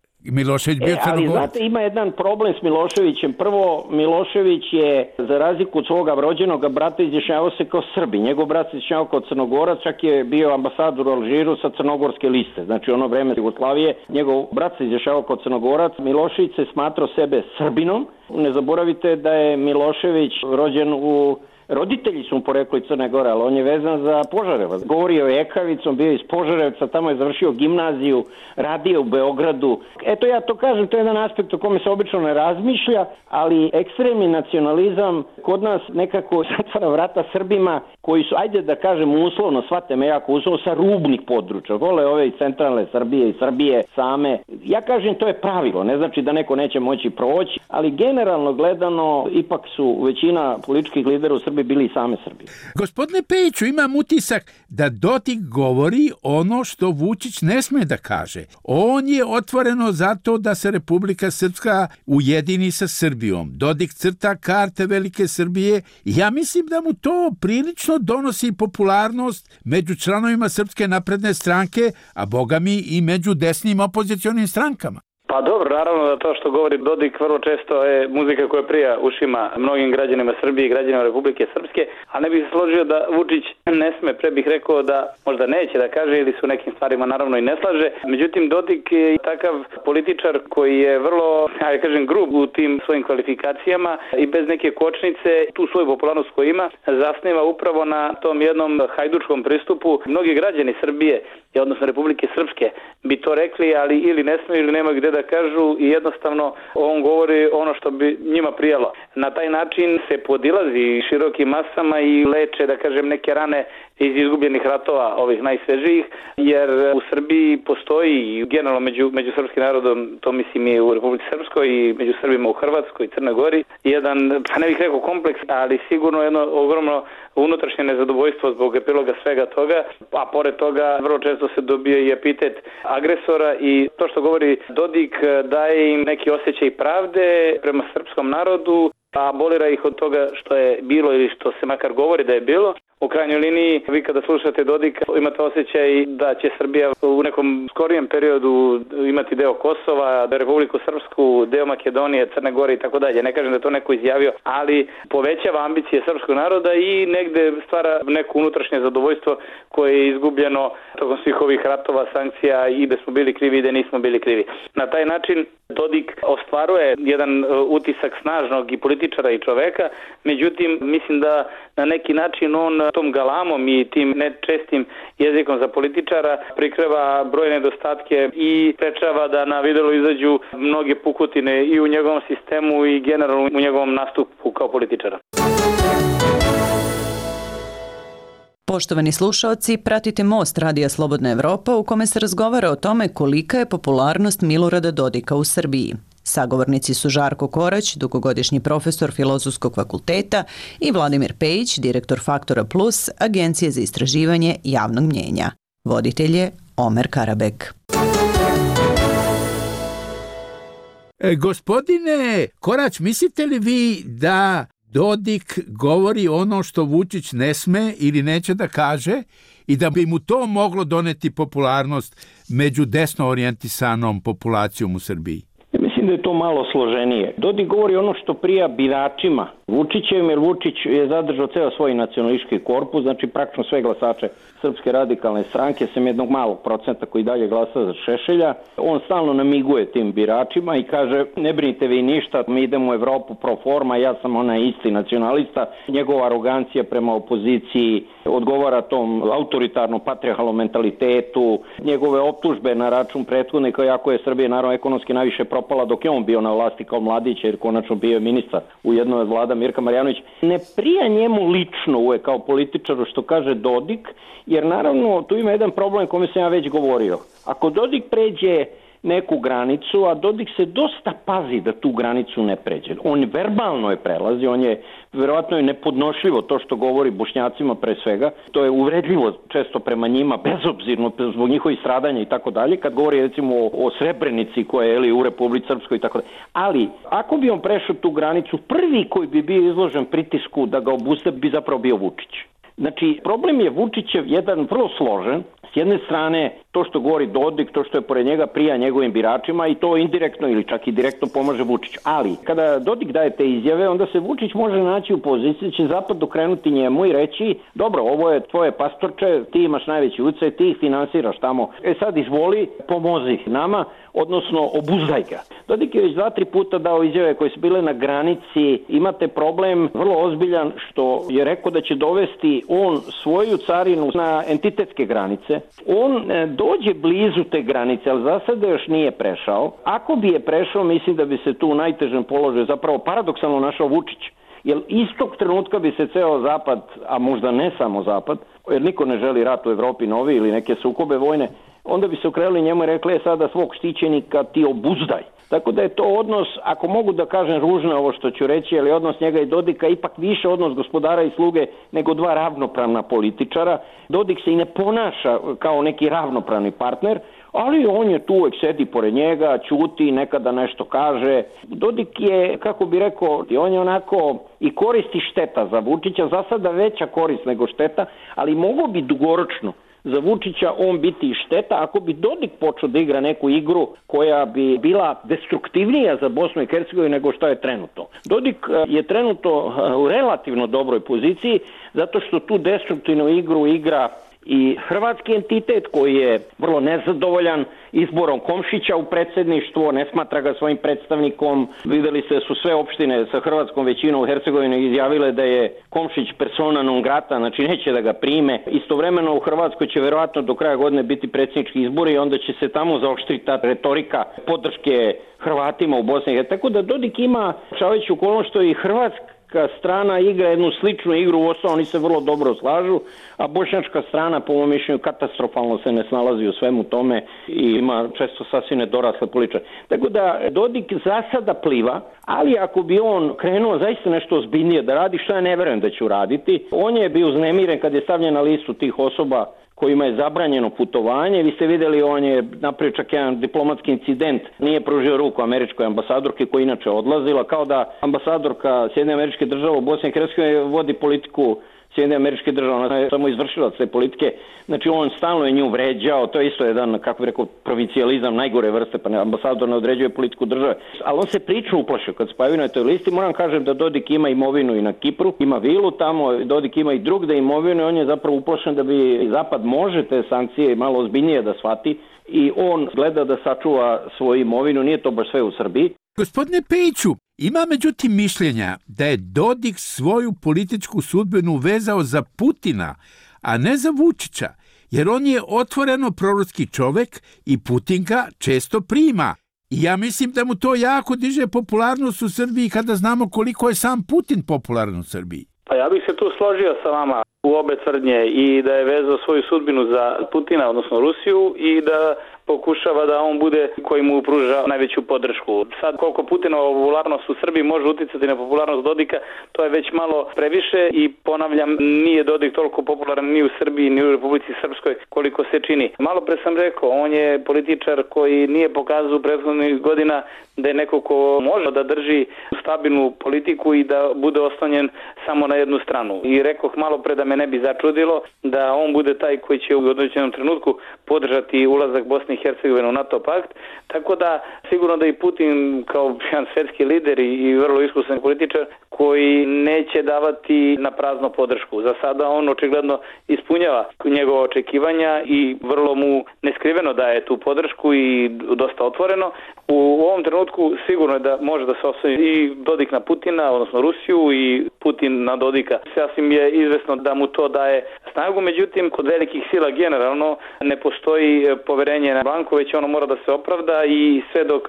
Ali znate, ima jedan problem s Miloševićem. Prvo, Milošević je, za razliku od svoga rođenog brata, izjašnjavao se kao Srbi. Njegov brat se izjašnjavao kao Crnogorac, čak je bio ambasador u Alžiru sa crnogorske liste. Znači ono vreme Jugoslavije, njegov brat se izjašnjavao kao Crnogorac. Milošević se smatrao sebe Srbinom. Ne zaboravite da je Milošević rođen u... Roditelji su mu porekli iz Crne Gore, ali on je vezan za Požarevac. Govorio je ekavicom, bio iz Požarevca, tamo je završio gimnaziju, radio u Beogradu. Eto ja to kažem, to je jedan aspekt o kome se obično ne razmišlja, ali ekstremni nacionalizam kod nas nekako zatvara vrata Srbima koji su, ajde da kažem uslovno, shvate me jako uslovno, sa rubnih područja. Vole ove iz centralne Srbije i Srbije same. Ja kažem, to je pravilo, ne znači da neko neće moći proći, ali generalno gledano ipak su većina političkih lidera u Srbiji bili i same Srbije. Gospodine Pejiću, imam utisak da Dodik govori ono što Vučić ne sme da kaže. On je otvoreno zato da se Republika Srpska ujedini sa Srbijom. Dodik crta karte Velike Srbije i ja mislim da mu to prilično donosi popularnost među članovima Srpske napredne stranke, a bogami i među desnim opozicionim strankama. Pa dobro, naravno da to što govori Dodik vrlo često je muzika koja prija ušima mnogim građanima Srbije i građanima Republike Srpske, a ne bih se složio da Vučić ne sme, pre bih rekao da možda neće da kaže ili su nekim stvarima naravno i ne slaže. Međutim, Dodik je takav političar koji je vrlo, grub u tim svojim kvalifikacijama i bez neke kočnice tu svoju popularnost koju ima zasniva upravo na tom jednom hajdučkom pristupu. Mnogi građani Srbije, odnosno Republike Srpske, bi to rekli, ali ili ne smiju ili nema gde da kažu i jednostavno on govori ono što bi njima prijalo. Na taj način se podilazi širokim masama i leče, da kažem, neke rane iz izgubljenih ratova, ovih najsvežijih, jer u Srbiji postoji, generalno među srpskim narodom, to mislim i u Republici Srpskoj i među Srbima u Hrvatskoj i Crnoj Gori, jedan, pa ne bih rekao kompleks, ali sigurno jedno ogromno unutrašnje nezadovoljstvo zbog epiloga svega toga, a pored toga vrlo često se dobije i epitet agresora i to što govori Dodik daje im neki osjećaj pravde prema srpskom narodu, a abolira ih od toga što je bilo ili što se makar govori da je bilo. U krajnjoj liniji, vi kada slušate Dodika, imate osjećaj da će Srbija u nekom skorijem periodu imati deo Kosova, Republiku Srpsku, deo Makedonije, Crne Gore i tako dalje. Ne kažem da to neko izjavio, ali povećava ambicije srpskog naroda i negde stvara neko unutrašnje zadovoljstvo koje je izgubljeno tokom svih ovih ratova, sankcija i da smo bili krivi i da nismo bili krivi. Na taj način Dodik ostvaruje jedan utisak snažnog i političara i čoveka, međutim mislim da na neki način on tom galamom i tim nečestim jezikom za političara prikreva brojne nedostatke i sprečava da na videlo izađu mnoge pukotine i u njegovom sistemu i generalno u njegovom nastupu kao političara. Poštovani slušaoci, pratite Most Radija Slobodna Evropa u kome se razgovara o tome kolika je popularnost Milorada Dodika u Srbiji. Sagovornici su Žarko Korać, dugogodišnji profesor Filozofskog fakulteta i Vladimir Pejić, direktor Faktora Plus, Agencije za istraživanje javnog mnjenja. Voditelj je Omer Karabek. Gospodine Korać, mislite li vi da Dodik govori ono što Vučić ne sme ili neće da kaže i da bi mu to moglo doneti popularnost među desno orijentisanom populacijom u Srbiji? Mislim da je to malo složenije. Dodik govori ono što prija biračima Vučićem, jer Vučić je zadržao ceo svoj nacionalistički korpus, znači praktično sve glasače Srpske radikalne stranke, sem jednog malog procenta koji dalje glasa za Šešelja. On stalno namiguje tim biračima i kaže, ne brinite vi ništa, mi idemo u Evropu pro forma, ja sam onaj isti nacionalista. Njegova arogancija prema opoziciji odgovara tom autoritarnom patriarhalnom mentalitetu, njegove optužbe na račun prethodnika, jako je Srbija naravno ekonomski najviše propala dok je on bio na vlasti kao mladić, jer konačno bio je ministar u jednoj od vlada Mirka Marjanović. Ne prija njemu lično uvek kao političaru što kaže Dodik, jer naravno tu ima jedan problem kome sam ja već govorio. Ako Dodik pređe neku granicu, a Dodik se dosta pazi da tu granicu ne pređe. On verbalno je prelazi, on je verovatno je nepodnošljivo to što govori Bošnjacima pre svega. To je uvredljivo često prema njima, bezobzirno zbog njihovih stradanja i tako dalje. Kad govori recimo o Srebrenici koja je u Republici Srpskoj i tako dalje. Ali ako bi on prešao tu granicu, prvi koji bi bio izložen pritisku da ga obustavi bi zapravo bio Vučić. Znači, problem je Vučićev jedan vrlo složen. S jedne strane, to što govori Dodik, to što je pored njega prija njegovim biračima i to indirektno ili čak i direktno pomaže Vučiću. Ali, kada Dodik daje te izjave, onda se Vučić može naći u poziciji da će Zapad dokrenuti njemu i reći, dobro, ovo je tvoje pastorče, ti imaš najveći utjecaj, ti ih finansiraš tamo. Sad izvoli, pomozi nama, odnosno obuzdaj ga. Dodik je već 2-3 puta dao izjave koje su bile na granici. Imate problem vrlo ozbiljan što je rekao da će dovesti on svoju carinu na entitetske granice. On dođe blizu te granice, ali za sada još nije prešao. Ako bi je prešao, mislim da bi se tu u najtežem položaju zapravo paradoksalno našao Vučić. Jer istog trenutka bi se ceo Zapad, a možda ne samo Zapad, jer niko ne želi rat u Evropi novi ili neke sukobe vojne, onda bi se okrenuli njemu i rekli sada svog štićenika ti obuzdaj. Tako da je to odnos, ako mogu da kažem ružno ovo što ću reći, ali odnos njega i Dodika ipak više odnos gospodara i sluge nego dva ravnopravna političara. Dodik se i ne ponaša kao neki ravnopravni partner, ali on je tu, uvek sedi pored njega, ćuti, nekada nešto kaže. Dodik je, kako bi rekao, on je onako i koristi šteta za Vučića, za sada veća korist nego šteta, ali mogo bi dugoročno za Vučića on biti i šteta ako bi Dodik počeo da igra neku igru koja bi bila destruktivnija za Bosnu i Hercegovinu nego što je trenutno. Dodik je trenutno u relativno dobroj poziciji zato što tu destruktivnu igru igra i hrvatski entitet koji je vrlo nezadovoljan izborom Komšića u predsjedništvo, ne smatra ga svojim predstavnikom. Videli ste da su sve opštine sa hrvatskom većinom u Hercegovini izjavile da je Komšić persona non grata, znači neće da ga prime. Istovremeno u Hrvatskoj će verovatno do kraja godine biti predsjednički izbori i onda će se tamo zaoštriti ta retorika podrške Hrvatima u Bosni i Hercegovini. Tako da Dodik ima šaveću okolnost što i Hrvatska strana igra jednu sličnu igru, uostalom oni se vrlo dobro slažu, a bošnjačka strana po mom mišljenju katastrofalno se ne snalazi u svemu tome i ima često sasvim nedorasle političare. Tako da Dodik za sada pliva, ali ako bi on krenuo zaista nešto ozbiljnije da radi, što ja ne verujem da će uraditi, on je bio uznemiren kad je stavljen na listu tih osoba kojima je zabranjeno putovanje. Vi ste vidjeli, on je napravio čak jedan diplomatski incident, nije pružio ruku američkoj ambasadorki koja inače odlazila, kao da ambasadorka Sjedinjenih Američkih Država u Bosni i Hercegovini vodi politiku Sjedinjenih Američkih Država, ona je samo izvršilac te politike, znači on stalno je nju vređao, to je isto jedan, kako bi rekao, provincijalizam najgore vrste, pa ambasador ne određuje politiku države, ali on se prično uplašio kad se pojavio na toj listi. Moram kažem da Dodik ima imovinu i na Kipru, ima vilu tamo, Dodik ima i drugde imovinu i on je zapravo uplašen da bi Zapad može te sankcije malo ozbiljnije da shvati i on gleda da sačuva svoju imovinu, nije to baš sve u Srbiji. Gospodine Pejiću, ima međutim mišljenja da je Dodik svoju političku sudbinu vezao za Putina, a ne za Vučića, jer on je otvoreno proruski čovek i Putin ga često prima. I ja mislim da mu to jako diže popularnost u Srbiji kada znamo koliko je sam Putin popularan u Srbiji. Pa ja bih se tu složio sa vama u obe tvrdnje i da je vezao svoju sudbinu za Putina, odnosno Rusiju, i da pokušava da on bude koji mu pruža najveću podršku. Sad koliko Putinova popularnost u Srbiji može uticati na popularnost Dodika, to je već malo previše i ponavljam, nije Dodik toliko popularan ni u Srbiji ni u Republici Srpskoj koliko se čini. Malo pre sam rekao, on je političar koji nije pokazao u prethodnih godina da je neko ko može da drži stabilnu politiku i da bude oslonjen samo na jednu stranu. I rekoh malo pre da me ne bi začudilo da on bude taj koji će u određenom trenutku podržati ulazak Bosne i Hercegovine u NATO pakt. Tako da sigurno da i Putin kao jedan svetski lider i vrlo iskusan političar koji neće davati na prazno podršku. Za sada on očigledno ispunjava njegova očekivanja i vrlo mu neskriveno daje tu podršku i dosta otvoreno. U ovom trenutku sigurno je da može da se osloni i Dodik na Putina, odnosno Rusiju, i Putin na Dodika. Sasvim je izvesno da mu to daje snagu, međutim kod velikih sila generalno ne postoji poverenje na blanko, već ono mora da se opravda i sve dok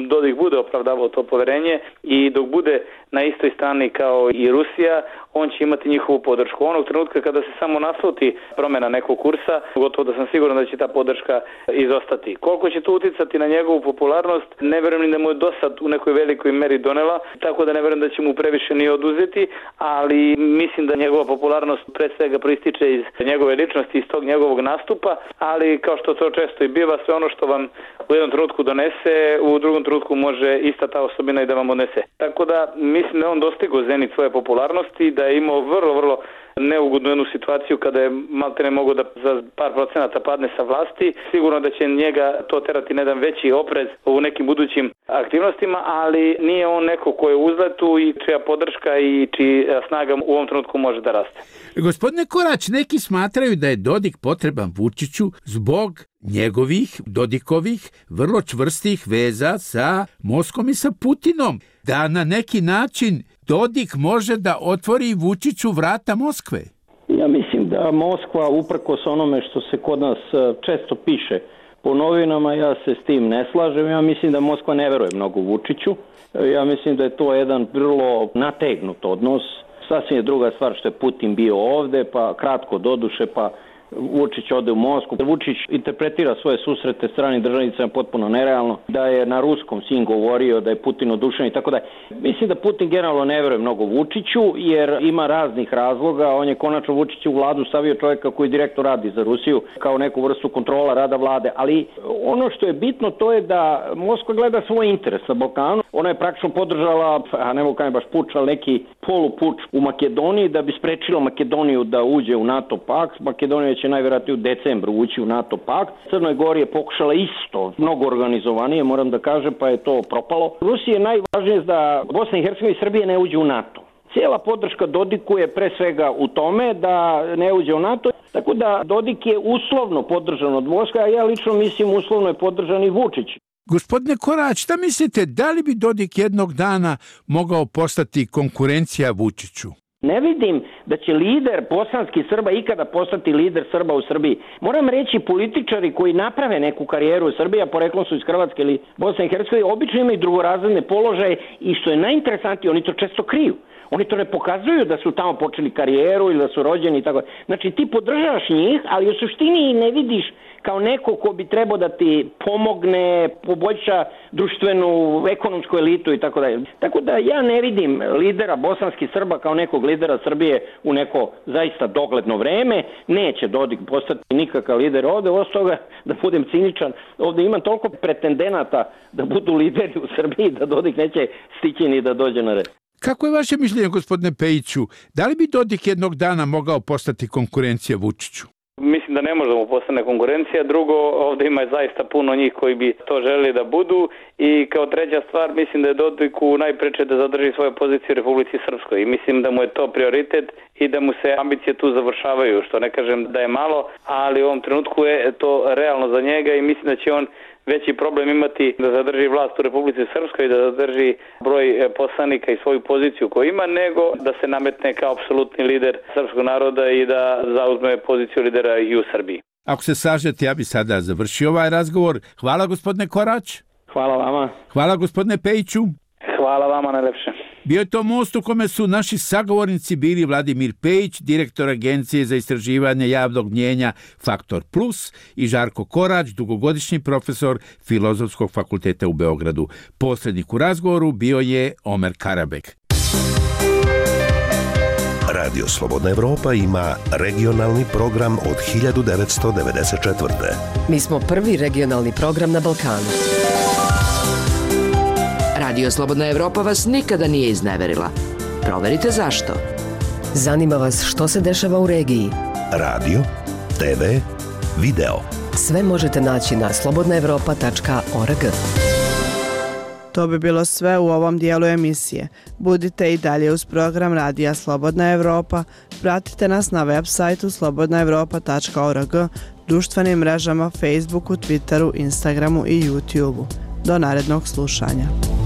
Dodik bude opravdavao to poverenje i dok bude na istoj strani kao i Rusija, on će imati njihovu podršku. Onog trenutka kada se samo nasluti promjena nekog kursa, gotovo da sam siguran da će ta podrška izostati. Koliko će to uticati na njegovu popularnost, ne vjerujem da mu je dosad u nekoj velikoj meri donela, tako da ne vjerujem da će mu previše ni oduzeti, ali mislim da njegova popularnost pre svega proističe iz njegove ličnosti, iz tog njegovog nastupa, ali kao što to često i biva, sve ono što vam u jednom trenutku donese, u drugom trenutku može ista ta osobina i da vam odnese. Tako da mislim da on dostigao zenit svoje popularnosti, da je imao vrlo neugodnu jednu situaciju kada je maltene mogao da za par procenata padne sa vlasti. Sigurno da će njega to terati na jedan veći oprez u nekim budućim aktivnostima, ali nije on neko ko je u uzletu i čija podrška i čija snaga u ovom trenutku može da raste. Gospodine Korać, neki smatraju da je Dodik potreban Vučiću zbog njegovih, Dodikovih, vrlo čvrstih veza sa Moskvom i sa Putinom. Da na neki način Dodik može da otvori Vučiću vrata Moskve? Ja mislim da Moskva, uprkos onome što se kod nas često piše po novinama, ja se s tim ne slažem. Ja mislim da Moskva ne veruje mnogo Vučiću. Ja mislim da je to jedan vrlo nategnut odnos. Sasvim je druga stvar što je Putin bio ovde, pa kratko doduše, pa Vučić ode u Moskvu. Vučić interpretira svoje susrete stranim državnicama potpuno nerealno, da je na ruskom sin govorio, da je Putin odušen i tako da. Mislim da Putin generalno ne veruje mnogo Vučiću, jer ima raznih razloga. On je konačno Vučić u vladu stavio čovjeka koji direktno radi za Rusiju kao neku vrstu kontrola rada vlade. Ali ono što je bitno to je da Moskva gleda svoj interes na Balkanu. Ona je praktično podržala, a ne mogu kaj baš puč, ali neki polupuč u Makedoniji da bi sprečila Makedoniju da uđe u NATO pakt. Makedonija će najvjerojatnije u decembru ući u NATO pakt. Crnoj Gori je pokušala isto, mnogo organizovanije, moram da kažem, pa je to propalo. Rusiji je najvažnije da Bosna i Hercegovina i Srbije ne uđe u NATO. Cijela podrška Dodiku je pre svega u tome da ne uđe u NATO, tako da Dodik je uslovno podržan od Moskve, a ja lično mislim uslovno je podržan i Vučić. Gospodine Korać, šta mislite, da li bi Dodik jednog dana mogao postati konkurencija Vučiću? Ne vidim da će lider bosanskih Srba ikada postati lider Srba u Srbiji. Moram reći, političari koji naprave neku karijeru u Srbiji, a poreklom su iz Hrvatske ili Bosne i Hercegovine, obično imaju drugorazredne položaje i što je najinteresantnije, oni to često kriju. Oni to ne pokazuju da su tamo počeli karijeru ili da su rođeni i tako. Znači ti podržavaš njih, ali u suštini ih ne vidiš kao neko ko bi trebao da ti pomogne, poboljša društvenu, ekonomsku elitu i tako dalje. Tako da ja ne vidim lidera bosanskih Srba kao nekog lidera Srbije u neko zaista dogledno vreme. Neće Dodik postati nikakav lider ovde, osim toga, da budem ciničan, ovde imam toliko pretendenata da budu lideri u Srbiji da Dodik neće stići ni da dođe na red. Kako je vaše mišljenje, gospodine Pejiću? Da li bi Dodik jednog dana mogao postati konkurencija Vučiću? Mislim da ne može da mu postane konkurencija. Drugo, ovdje ima zaista puno njih koji bi to želeli da budu. I kao treća stvar, mislim da je Dodiku najpreče da zadrži svoje pozicije u Republici Srpskoj. I mislim da mu je to prioritet i da mu se ambicije tu završavaju. Što ne kažem da je malo, ali u ovom trenutku je to realno za njega i mislim da će on veći problem imati da zadrži vlast u Republici Srpskoj i da zadrži broj poslanika i svoju poziciju koju ima, nego da se nametne kao apsolutni lider srpskog naroda i da zauzme poziciju lidera i u Srbiji. Ako se slažete, ja bi sada završio ovaj razgovor. Hvala, gospodine Korać. Hvala vama. Hvala, gospodine Pejiću. Hvala vama najlepše. Bio je to most u kome su naši sagovornici bili Vladimir Pejić, direktor Agencije za istraživanje javnog mnjenja Faktor Plus, i Žarko Korać, dugogodišnji profesor Filozofskog fakulteta u Beogradu. Posrednik u razgovoru bio je Omer Karabek. Radio Slobodna Evropa ima regionalni program od 1994. Mi smo prvi regionalni program na Balkanu. Radio Slobodna Evropa vas nikada nije izneverila. Proverite zašto. Zanima vas što se dešava u regiji. Radio, TV, video. Sve možete naći na slobodnaevropa.org. To bi bilo sve u ovom dijelu emisije. Budite i dalje uz program Radija Slobodna Evropa. Pratite nas na web sajtu slobodnaevropa.org, društvenim mrežama Facebooku, Twitteru, Instagramu i YouTubeu. Do narednog slušanja.